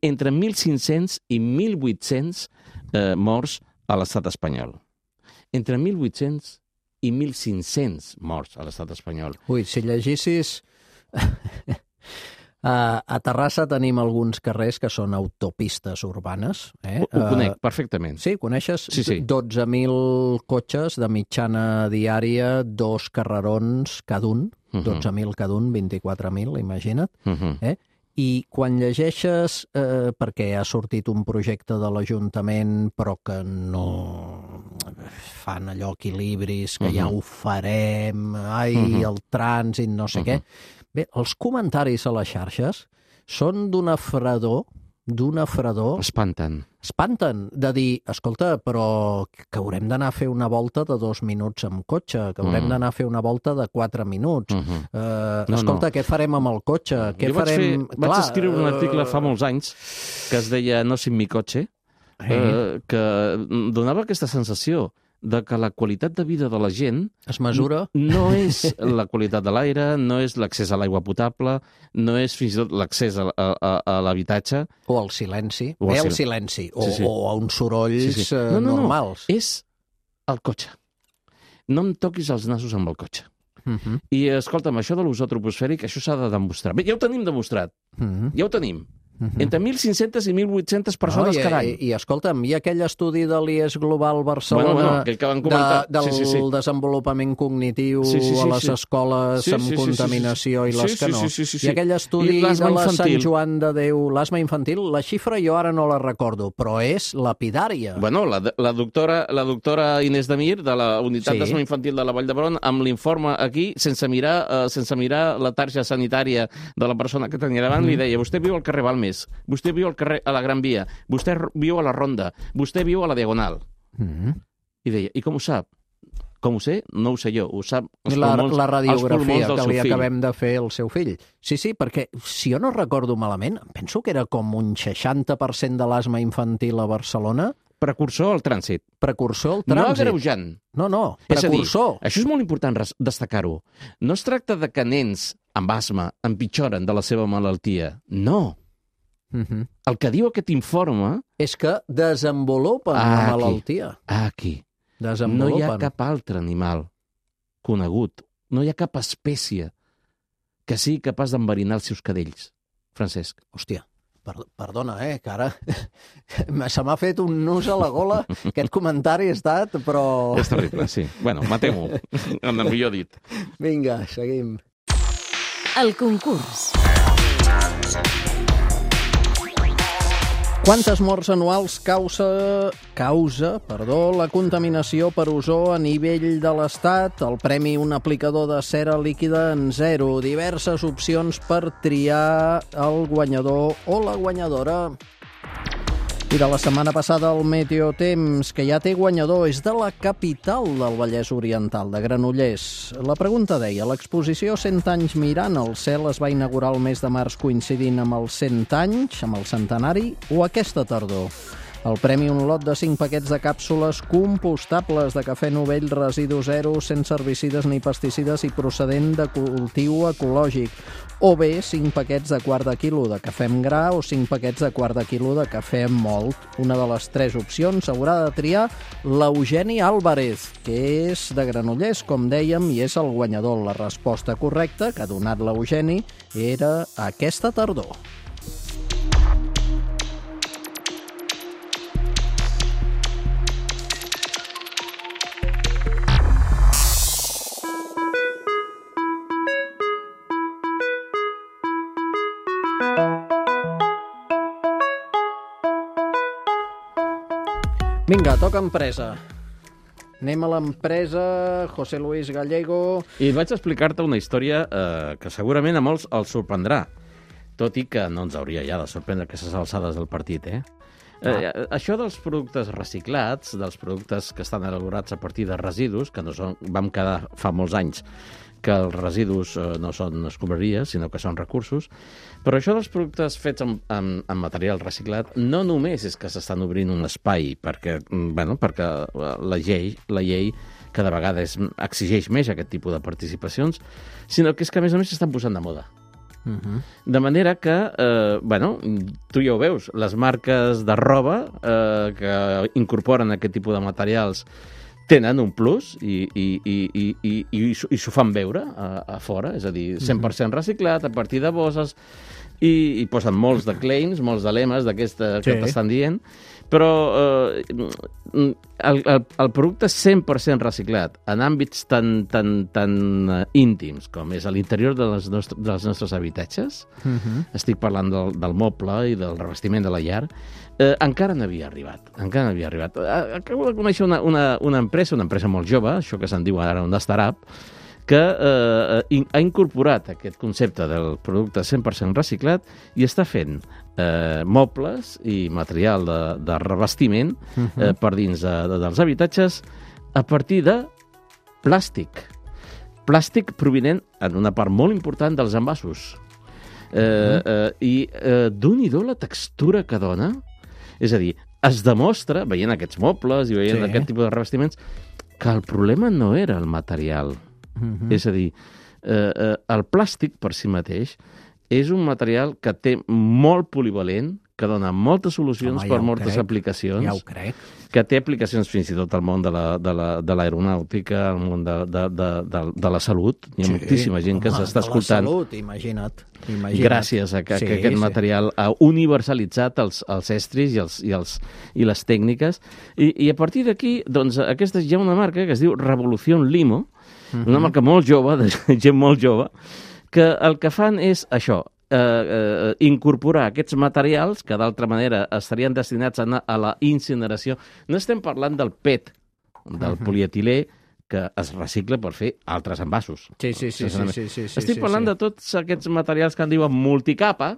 [SPEAKER 6] entre 1.500 i 1.800 morts a l'estat espanyol. Entre 1.800 i 1.500 morts a l'estat espanyol.
[SPEAKER 3] Ui, si llegissis... A Terrassa tenim alguns carrers que són autopistes urbanes.
[SPEAKER 6] Ho conec perfectament.
[SPEAKER 3] Sí, coneixes?
[SPEAKER 6] Sí.
[SPEAKER 3] 12.000 cotxes de mitjana diària, 2 carrerons cada un, 12.000 cada un, 24.000, imagina't. I quan llegeixes, perquè ha sortit un projecte de l'Ajuntament però que no fan allò equilibris, que ja ho farem, el trànsit, no sé què. Bé, els comentaris a les xarxes són d'una fredor...
[SPEAKER 6] Espanten,
[SPEAKER 3] de dir, escolta, però que haurem d'anar a fer una volta de 2 minuts amb cotxe, que haurem d'anar a fer una volta de 4 minuts. Escolta, què farem amb el cotxe?
[SPEAKER 6] Vaig escriure un article fa molts anys que es deia No sin mi cotxe, que donava aquesta sensació de que la qualitat de vida de la gent...
[SPEAKER 3] Es mesura?
[SPEAKER 6] No és la qualitat de l'aire, no és l'accés a l'aigua potable, no és fins i tot l'accés a l'habitatge...
[SPEAKER 3] O al silenci. El silenci. O a uns sorolls normals.
[SPEAKER 6] És el cotxe. No em toquis els nassos amb el cotxe. I, escolta'm, això de l'ozó troposfèric, això s'ha de demostrar. Bé, ja ho tenim demostrat. Ja ho tenim. Entre 1.500 i 1.800 persones cada any.
[SPEAKER 3] I escolta'm, hi ha aquell estudi de l'IES Global Barcelona
[SPEAKER 6] aquell que van comentar.
[SPEAKER 3] del desenvolupament cognitiu a les escoles amb contaminació i les que no. I aquell estudi de la Sant Joan de Déu, l'asma infantil, la xifra jo ara no la recordo, però és lapidària.
[SPEAKER 6] Bueno, la doctora Inés Demir, de la unitat d'asma infantil de la Vall d'Hebron, amb l'informe aquí, sense mirar la tarja sanitària de la persona que tenia davant, li deia, vostè viu al carrer Balmes, vostè viu al carrer a la Gran Via, vostè viu a la Ronda, vostè viu a la Diagonal. I deia, i com ho sap? Com ho sé? No ho sé jo, ho sap
[SPEAKER 3] la radiografia que li acabem de fer al seu fill. Sí, perquè, si jo no recordo malament, penso que era com un 60% de l'asma infantil a Barcelona.
[SPEAKER 6] Precursor al trànsit.
[SPEAKER 3] No
[SPEAKER 6] agreujant.
[SPEAKER 3] No, precursor.
[SPEAKER 6] És a dir, això és molt important destacar-ho. No es tracta de que nens amb asma empitjoren de la seva malaltia. No. El que diu aquest informe
[SPEAKER 3] és que desenvolupen la malaltia.
[SPEAKER 6] Aquí. No hi ha cap altre animal conegut, no hi ha cap espècie que sigui capaç d'enverinar els seus cadells. Francesc.
[SPEAKER 3] Hòstia, perdona, que ara se m'ha fet un nus a la gola. Aquest comentari ha estat, però...
[SPEAKER 6] És terrible, sí. Bueno, matem-ho, en el millor dit.
[SPEAKER 3] Vinga, seguim.
[SPEAKER 1] El concurs.
[SPEAKER 3] Quantes morts anuals causa la contaminació per ozó a nivell de l'Estat? El premi Un aplicador de cera líquida en 0. Diverses opcions per triar el guanyador o la guanyadora. I de la setmana passada el Meteotemps, que ja té guanyador, és de la capital del Vallès Oriental, de Granollers. La pregunta deia, l'exposició 100 anys mirant el cel es va inaugurar el mes de març coincidint amb els 100 anys, amb el centenari, o aquesta tardor? El premi, un lot de 5 paquets de càpsules compostables de cafè novell residu zero, sense herbicides ni pesticides i procedent de cultiu ecològic. O bé 5 paquets de quart de quilo de cafè amb gra o 5 paquets de quart de quilo de cafè amb mòlt. Una de les 3 opcions haurà de triar l'Eugeni Álvarez, que és de Granollers, com dèiem, i és el guanyador. La resposta correcta que ha donat l'Eugeni era aquesta tardor. Vinga, toca empresa. Anem a l'empresa, José Luis Gallego...
[SPEAKER 6] I vaig explicar-te una història que segurament a molts els sorprendrà, tot i que no ens hauria ja de sorprendre aquestes alçades del partit, això dels productes reciclats, dels productes que estan elaborats a partir de residus, que no són, vam quedar fa molts anys que els residus no són escombraries, sinó que són recursos. Però això dels productes fets amb material reciclat no només és que s'estan obrint un espai perquè la llei cada vegada exigeix més aquest tipus de participacions, sinó que és que a més s'estan posant de moda. De manera que, tu ja ho veus, les marques de roba que incorporen aquest tipus de materials tenen un plus i s'ho fan veure a fora, és a dir, 100% reciclat, a partir de bosses, i posen molts de claims, molts de lemes d'aquesta que t'estan dient, però el producte 100% reciclat en àmbits tan íntims com és a l'interior dels nostres habitatges, estic parlant del moble i del revestiment de la llar, encara no havia arribat. Acabo de conèixer una empresa molt jove, això que se'n diu ara un startup, que ha incorporat aquest concepte del producte 100% reciclat i està fent mobles i material de revestiment per dins dels habitatges a partir de plàstic. Plàstic provinent, en una part molt important, dels envasos. I Déu-n'hi-do la textura que dona. És a dir, es demostra, veient aquests mobles i veient aquest tipus de revestiments, que el problema no era el material. És a dir, el plàstic per si mateix és un material que té molt polivalent, que dona moltes solucions per moltes aplicacions.
[SPEAKER 3] Ja ho crec.
[SPEAKER 6] Que té aplicacions fins i tot al món de l'aeronàutica, al món de la salut. Hi ha moltíssima gent que s'està escoltant.
[SPEAKER 3] De la salut, imagina't.
[SPEAKER 6] Gràcies a que aquest material ha universalitzat els estris i les tècniques. I a partir d'aquí, doncs, aquesta hi ha una marca que es diu Revolución Limo, una marca molt jove, de gent molt jove, que el que fan és això, incorporar aquests materials que d'altra manera estarien destinats a anar a la incineració. No estem parlant del PET, del polietilè, que es recicla per fer altres envasos.
[SPEAKER 3] Sí.
[SPEAKER 6] Estic parlant de tots aquests materials que en diuen multicapa,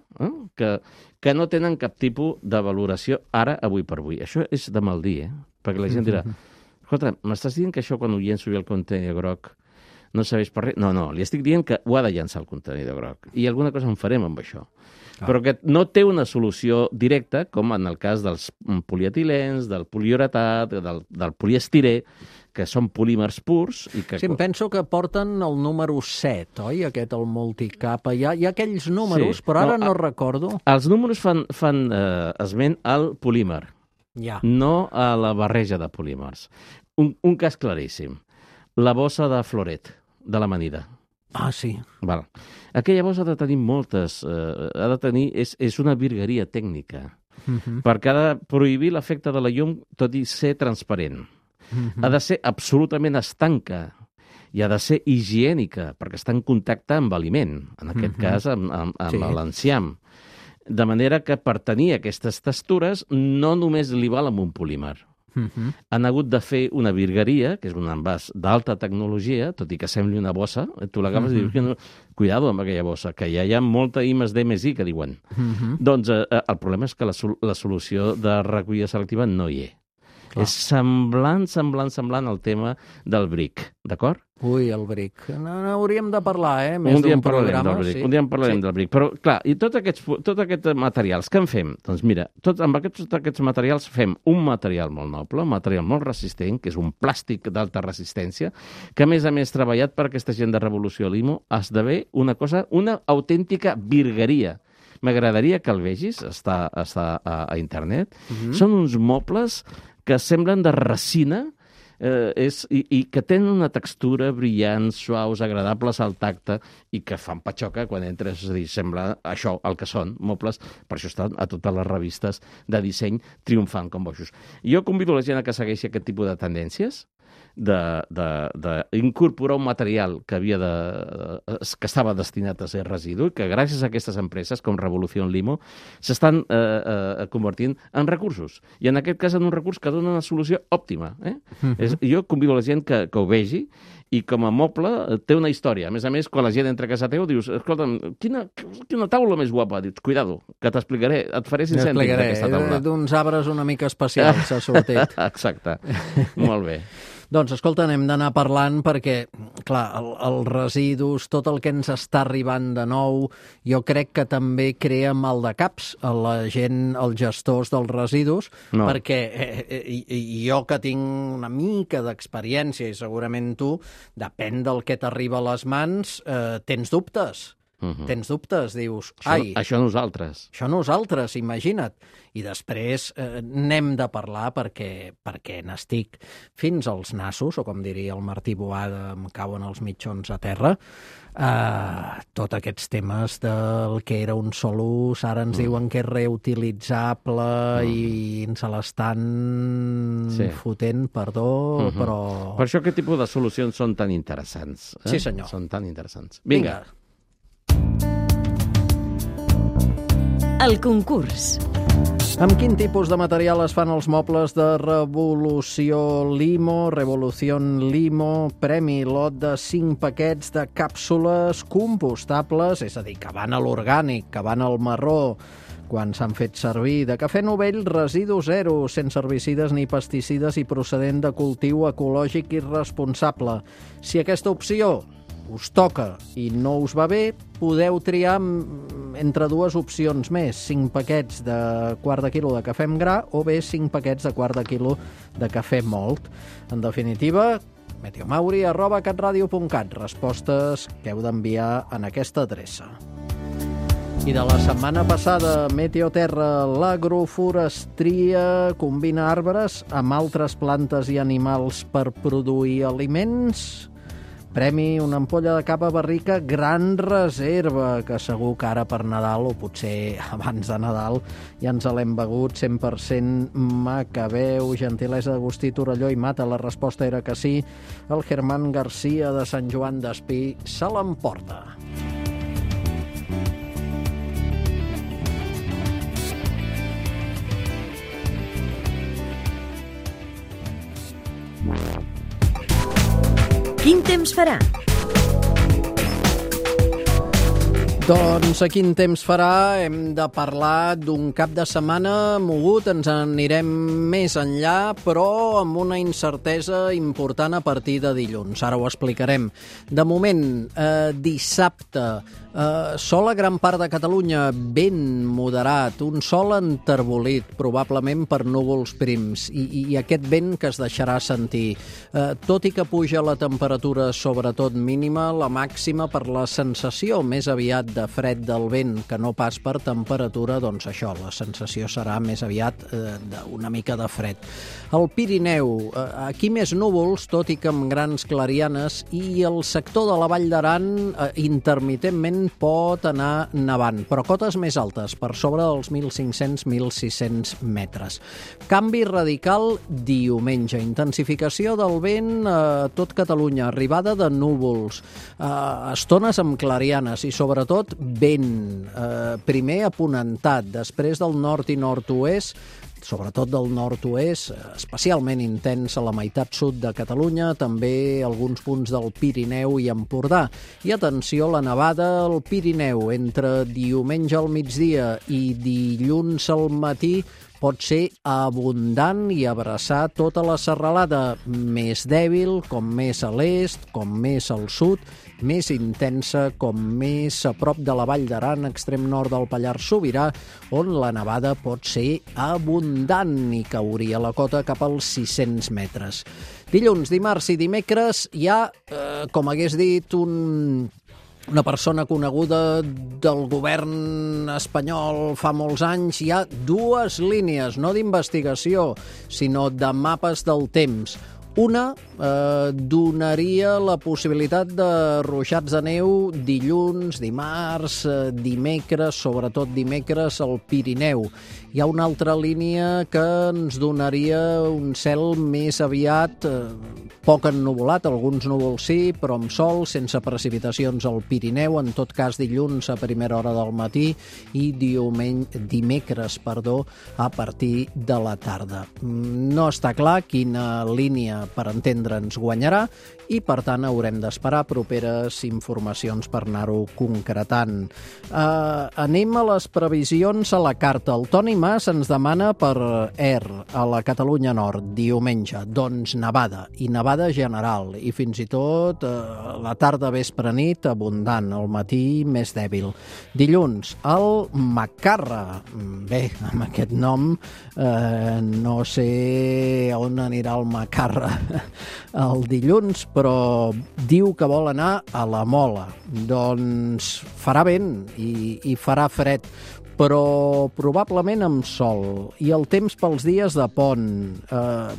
[SPEAKER 6] que no tenen cap tipus de valoració ara, avui per avui. Això és de mal dir, perquè la gent dirà, escolta, m'estàs dient que això quan ho llenço i el contenidor groc no serveix per res? No, li estic dient que ho ha de llançar el contenidor groc. I alguna cosa en farem amb això. Però que no té una solució directa, com en el cas dels polietilens, del poliuretat, del poliestirè, que són polímers purs. I que...
[SPEAKER 3] Sí, em penso que porten el número 7, oi? Aquest, el multicapa. Hi ha aquells números, però ara no recordo.
[SPEAKER 6] Els números fan esment al polímer, no a la barreja de polímers. Un cas claríssim. La bossa de floret, de l'amanida.
[SPEAKER 3] Ah, sí.
[SPEAKER 6] Val. Aquella bossa ha de tenir moltes... és una virgueria tècnica, perquè ha de prohibir l'efecte de la llum, tot i ser transparent. Ha de ser absolutament estanca i ha de ser higiènica, perquè està en contacte amb aliment, en aquest cas amb l'enciam. De manera que per tenir aquestes textures no només li val amb un polímer. Han hagut de fer una virgueria, que és un envàs d'alta tecnologia, tot i que sembli una bossa, tu l'agafes i dius, cuidado amb aquella bossa, que ja hi ha molta I+D+I, que diuen. Doncs el problema és que la solució de recollida selectiva no hi és. És semblant al tema del bric, d'acord?
[SPEAKER 3] Ui, el bric. N'hauríem de parlar, més d'un programa.
[SPEAKER 6] Un dia en parlarem del bric. Però, clar, i tots aquests materials, què en fem? Doncs mira, amb tots aquests materials fem un material molt noble, un material molt resistent, que és un plàstic d'alta resistència, que a més treballat per aquesta gent de Revolució Limo, esdevé una autèntica virgueria. M'agradaria que el vegis, està a internet. Són uns mobles que semblen de resina i que tenen una textura brillant, suaus, agradables al tacte i que fan patxoca quan entres. És a dir, sembla això el que són, mobles. Per això estan a totes les revistes de disseny triomfant com bojos. Jo convido la gent a que segueixi aquest tipus de tendències, d'incorporar un material que estava destinat a ser residu i que gràcies a aquestes empreses com Revolución Limo s'estan convertint en recursos. I en aquest cas en un recurs que dona una solució òptima. Jo convido la gent que ho vegi i com a moble té una història. A més, quan la gent entra a casa teu dius, escolta'm, quina taula més guapa. Dius, cuidado, que t'explicaré, et faré 5 cèntims d'aquesta taula.
[SPEAKER 3] D'uns arbres una mica especials s'ha sortit.
[SPEAKER 6] Exacte, molt bé.
[SPEAKER 3] Doncs, escolta, anem d'anar parlant perquè, clar, els residus, tot el que ens està arribant de nou, jo crec que també crea maldecaps a la gent, als gestors dels residus, perquè jo que tinc una mica d'experiència, i segurament tu, depèn del que t'arriba a les mans, tens dubtes. Tens dubtes, dius, ai...
[SPEAKER 6] Això nosaltres.
[SPEAKER 3] Això nosaltres, imagina't. I després n'hem de parlar perquè n'estic fins als nassos, o com diria el Martí Boada, em cauen els mitjons a terra. Tots aquests temes del que era un sol ús, ara ens diuen que és reutilitzable i ens l'estan fotent, perdó, però...
[SPEAKER 6] Per això aquest tipus de solucions són tan interessants.
[SPEAKER 3] Sí, senyor.
[SPEAKER 6] Són tan interessants. Vinga.
[SPEAKER 1] El concurs.
[SPEAKER 3] Amb quin tipus de material es fan els mobles de Revolució Limo? Revolución Limo, premi lot de 5 paquets de càpsules compostables, és a dir, que van a l'orgànic, que van al marró, quan s'han fet servir, de cafè novell residu zero, sense herbicides ni pesticides i procedent de cultiu ecològic i responsable. Si aquesta opció us toca i no us va bé, podeu triar entre 2 opcions més, 5 paquets de quart de quilo de cafè amb gra o bé 5 paquets de quart de quilo de cafè mòlt. En definitiva, meteomauri@catradio.cat. Respostes que heu d'enviar en aquesta adreça. I de la setmana passada, Meteoterra, l'agroforestria combina arbres amb altres plantes i animals per produir aliments. Premi una ampolla de cava barrica Gran Reserva, que segur que ara per Nadal, o potser abans de Nadal, ja ens l'hem begut 100% Macabeu. Gentilesa d'Agustí Torelló i Mata, la resposta era que sí. El Germán García de Sant Joan d'Espí se l'emporta.
[SPEAKER 1] Quin temps farà?
[SPEAKER 3] Doncs a quin temps farà? Hem de parlar d'un cap de setmana mogut, ens anirem més enllà, però amb una incertesa important a partir de dilluns. Ara ho explicarem. De moment, dissabte, sol a gran part de Catalunya, vent moderat, un sol enterbolit, probablement per núvols prims, i aquest vent que es deixarà sentir. Tot i que puja la temperatura, sobretot mínima, la màxima per la sensació més aviat de fred del vent que no pas per temperatura, doncs això, la sensació serà més aviat d'una mica de fred. El Pirineu, aquí més núvols, tot i que amb grans clarianes, i el sector de la Vall d'Aran intermitentment pot anar nevant, però cotes més altes, per sobre dels 1.500-1.600 metres. Canvi radical diumenge, intensificació del vent a tot Catalunya, arribada de núvols, estones amb clarianes i sobretot vent, primer aponentat, després del nord i nord-oest, sobretot del nord-oest, especialment intens a la meitat sud de Catalunya, també alguns punts del Pirineu i Empordà. I atenció, la nevada al Pirineu entre diumenge al migdia i dilluns al matí pot ser abundant i abraçar tota la serralada, més dèbil, com més a l'est, com més al sud, més intensa, com més a prop de la Vall d'Aran, extrem nord del Pallars Sobirà, on la nevada pot ser abundant i cauria la cota cap als 600 metres. Dilluns, dimarts i dimecres hi ha, com hagués dit una persona coneguda del govern espanyol fa molts anys, hi ha dues línies, no d'investigació, sinó de mapes del temps. Una donaria la possibilitat de ruixats de neu dilluns, dimarts, dimecres, sobretot dimecres al Pirineu. Hi ha una altra línia que ens donaria un cel més aviat poc ennuvolat, alguns núvols sí, però amb sol, sense precipitacions al Pirineu, en tot cas dilluns a primera hora del matí i dimecres, a partir de la tarda. No està clar quina línia, per entendre'ns, guanyarà i, per tant, haurem d'esperar properes informacions per anar-ho concretant. Anem a les previsions a la carta. El Toni Mas ens demana per a la Catalunya Nord, diumenge, doncs nevada, i nevada general, i fins i tot la tarda, vespre, nit, abundant, al matí més dèbil. Dilluns, el Macarra. Bé, amb aquest nom no sé on anirà el Macarra el dilluns, però diu que vol anar a la Mola. Doncs farà vent i farà fred, però probablement amb sol. I el temps pels dies de pont.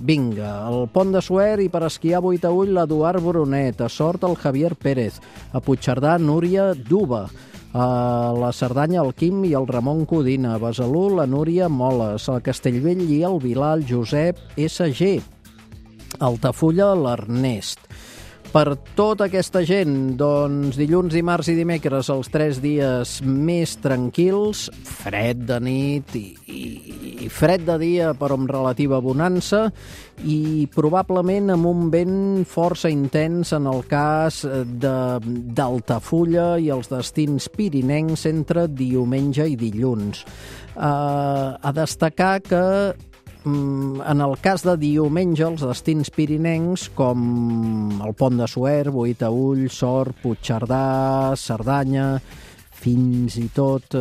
[SPEAKER 3] Vinga, el Pont de Suert i per esquiar a Boitaüll l'Eduard Brunet, a Sort el Javier Pérez, a Puigcerdà Núria Duba, a la Cerdanya el Quim i el Ramon Codina, a Besalú la Núria Moles, a Castellvell i el Vilar el Josep SG, a Altafulla l'Ernest. Per tota aquesta gent, doncs, dilluns, dimarts i dimecres, els 3 dies més tranquils, fred de nit i fred de dia, però amb relativa bonança, i probablement amb un vent força intens en el cas d'Altafulla i els destins pirinencs entre diumenge i dilluns. A destacar que en el cas de diumenge, els destins pirinencs, com el Pont de Suert, Boitaüll, Sort, Puigcerdà, Cerdanya, fins i tot...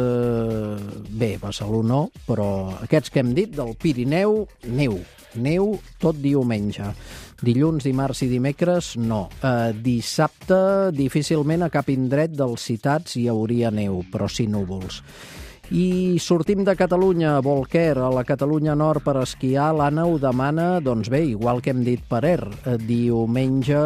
[SPEAKER 3] Bé, Besalú no, però aquests que hem dit, del Pirineu, neu tot diumenge. Dilluns, dimarts i dimecres, no. Dissabte, difícilment a cap indret dels citats hi hauria neu, però sí núvols. I sortim de Catalunya, Bolquer, a la Catalunya Nord per esquiar. L'Anna ho demana, doncs bé, igual que hem dit per diumenge,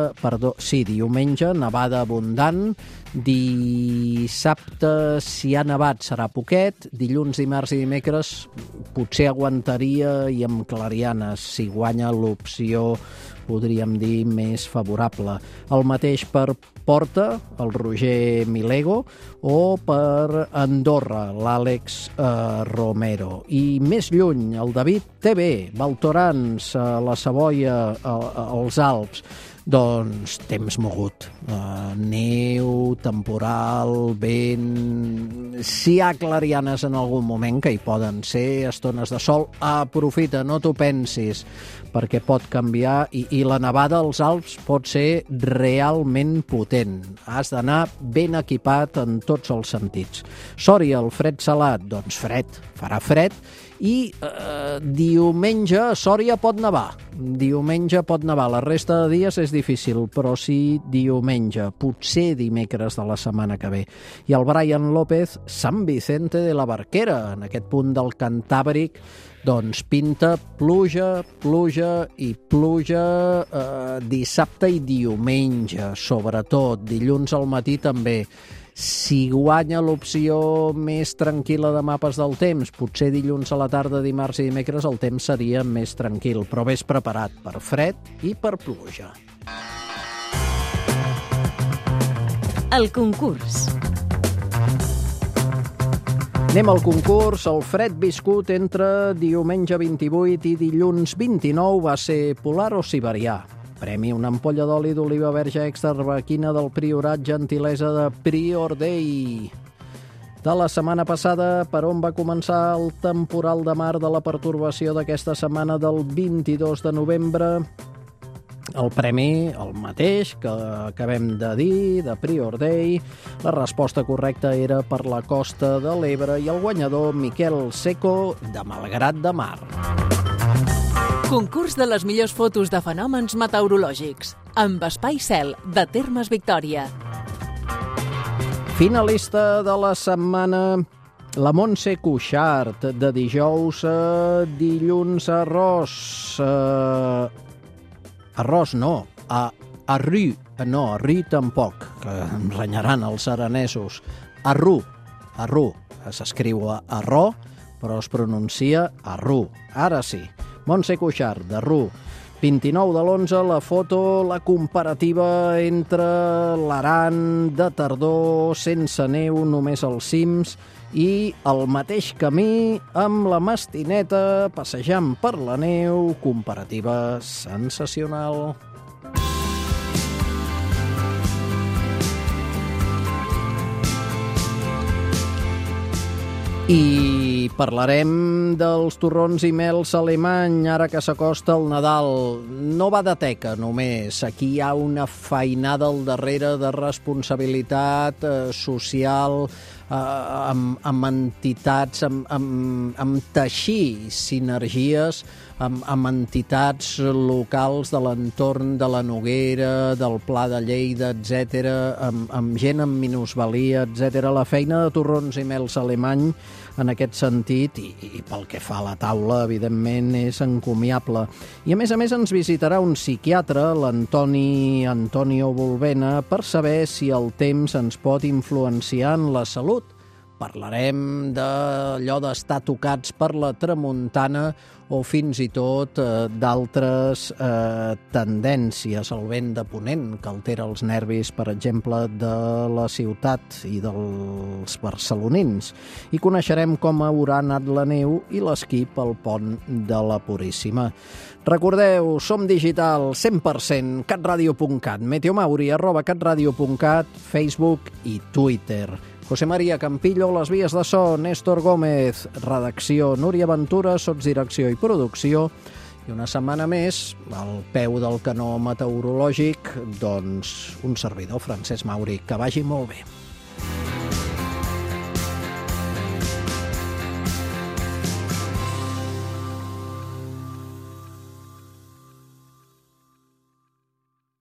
[SPEAKER 3] nevada abundant. Dissabte, si ha nevat, serà poquet. Dilluns, dimarts i dimecres potser aguantaria i amb clarianes, si guanya l'opció, podríem dir, més favorable. El mateix per Porta, el Roger Milego, o per Andorra, l'Àlex Romero. I més lluny, el David TV, Baltorans, la Savoia, els Alps. Doncs temps mogut, neu, temporal, vent... Si hi ha clarianes en algun moment, que hi poden ser, estones de sol, aprofita, no t'ho pensis, perquè pot canviar i la nevada als Alps pot ser realment potent. Has d'anar ben equipat en tots els sentits. Sòria, el fred salat, doncs fred, farà fred, i diumenge a Sòria pot nevar. La resta de dies és difícil, però sí diumenge, potser dimecres de la setmana que ve. I el Brian López, Sant Vicente de la Barquera, en aquest punt del Cantàbric, doncs pinta pluja i pluja dissabte i diumenge, sobretot. Dilluns al matí també. Si guanya l'opció més tranquil·la de mapes del temps, potser dilluns a la tarda, dimarts i dimecres, el temps seria més tranquil, però ves preparat per fred i per pluja.
[SPEAKER 1] El concurs.
[SPEAKER 3] Anem al concurs. El fred viscut entre diumenge 28 i dilluns 29 va ser polar o siberià. Premi una ampolla d'oli d'oliva verge extra arbequina del Priorat, gentilesa de Prior Day. De la setmana passada, per on va començar el temporal de mar de la pertorbació d'aquesta setmana del 22 de novembre? El premi, el mateix que acabem de dir, de Prior Day. La resposta correcta era per la costa de l'Ebre i el guanyador, Miquel Seco, de Malgrat de Mar.
[SPEAKER 4] Concurs de les millors fotos de fenòmens meteorològics, amb Espai Cel, de Termes Victòria.
[SPEAKER 3] Finalista de la setmana, la Montse Cuixart, de dijous a dilluns a Arròs. Arròs no, a Rü, no, a Rü tampoc, que em renyaran els aranesos. Arrú, s'escriu a Arró, però es pronuncia Arrú, ara sí. Montse Cuixart, de Rú. 29 de l'11, la foto, la comparativa entre l'Aran de tardor, sense neu, només als cims, i el mateix camí amb la Mastineta, passejant per la neu, comparativa sensacional. I parlarem dels torrons i mels alemany, ara que s'acosta el Nadal. No va de teca només, aquí hi ha una feinada al darrere de responsabilitat social, amb entitats, amb teixir sinergies amb entitats locals de l'entorn de la Noguera, del Pla de Lleida, etc., amb gent amb minusvalia, etc. La feina de torrons i mels alemany en aquest sentit, i pel que fa a la taula, evidentment, és encomiable. I a més ens visitarà un psiquiatre, l'Antonio Volvena, per saber si el temps ens pot influenciar en la salut. Parlarem d'allò d'estar tocats per la tramuntana o fins i tot d'altres tendències, el vent de ponent que altera els nervis, per exemple, de la ciutat i dels barcelonins. I coneixerem com haurà anat la neu i l'esquí pel pont de la Puríssima. Recordeu, som digital 100%, catradio.cat, meteomauri@catradio.cat, Facebook i Twitter. José María Campillo, les vies de so, Néstor Gómez, redacció, Núria Ventura, sotsdirecció i producció. I una setmana més, al peu del canó meteorològic, doncs un servidor, Francesc Mauri. Que vagi molt bé.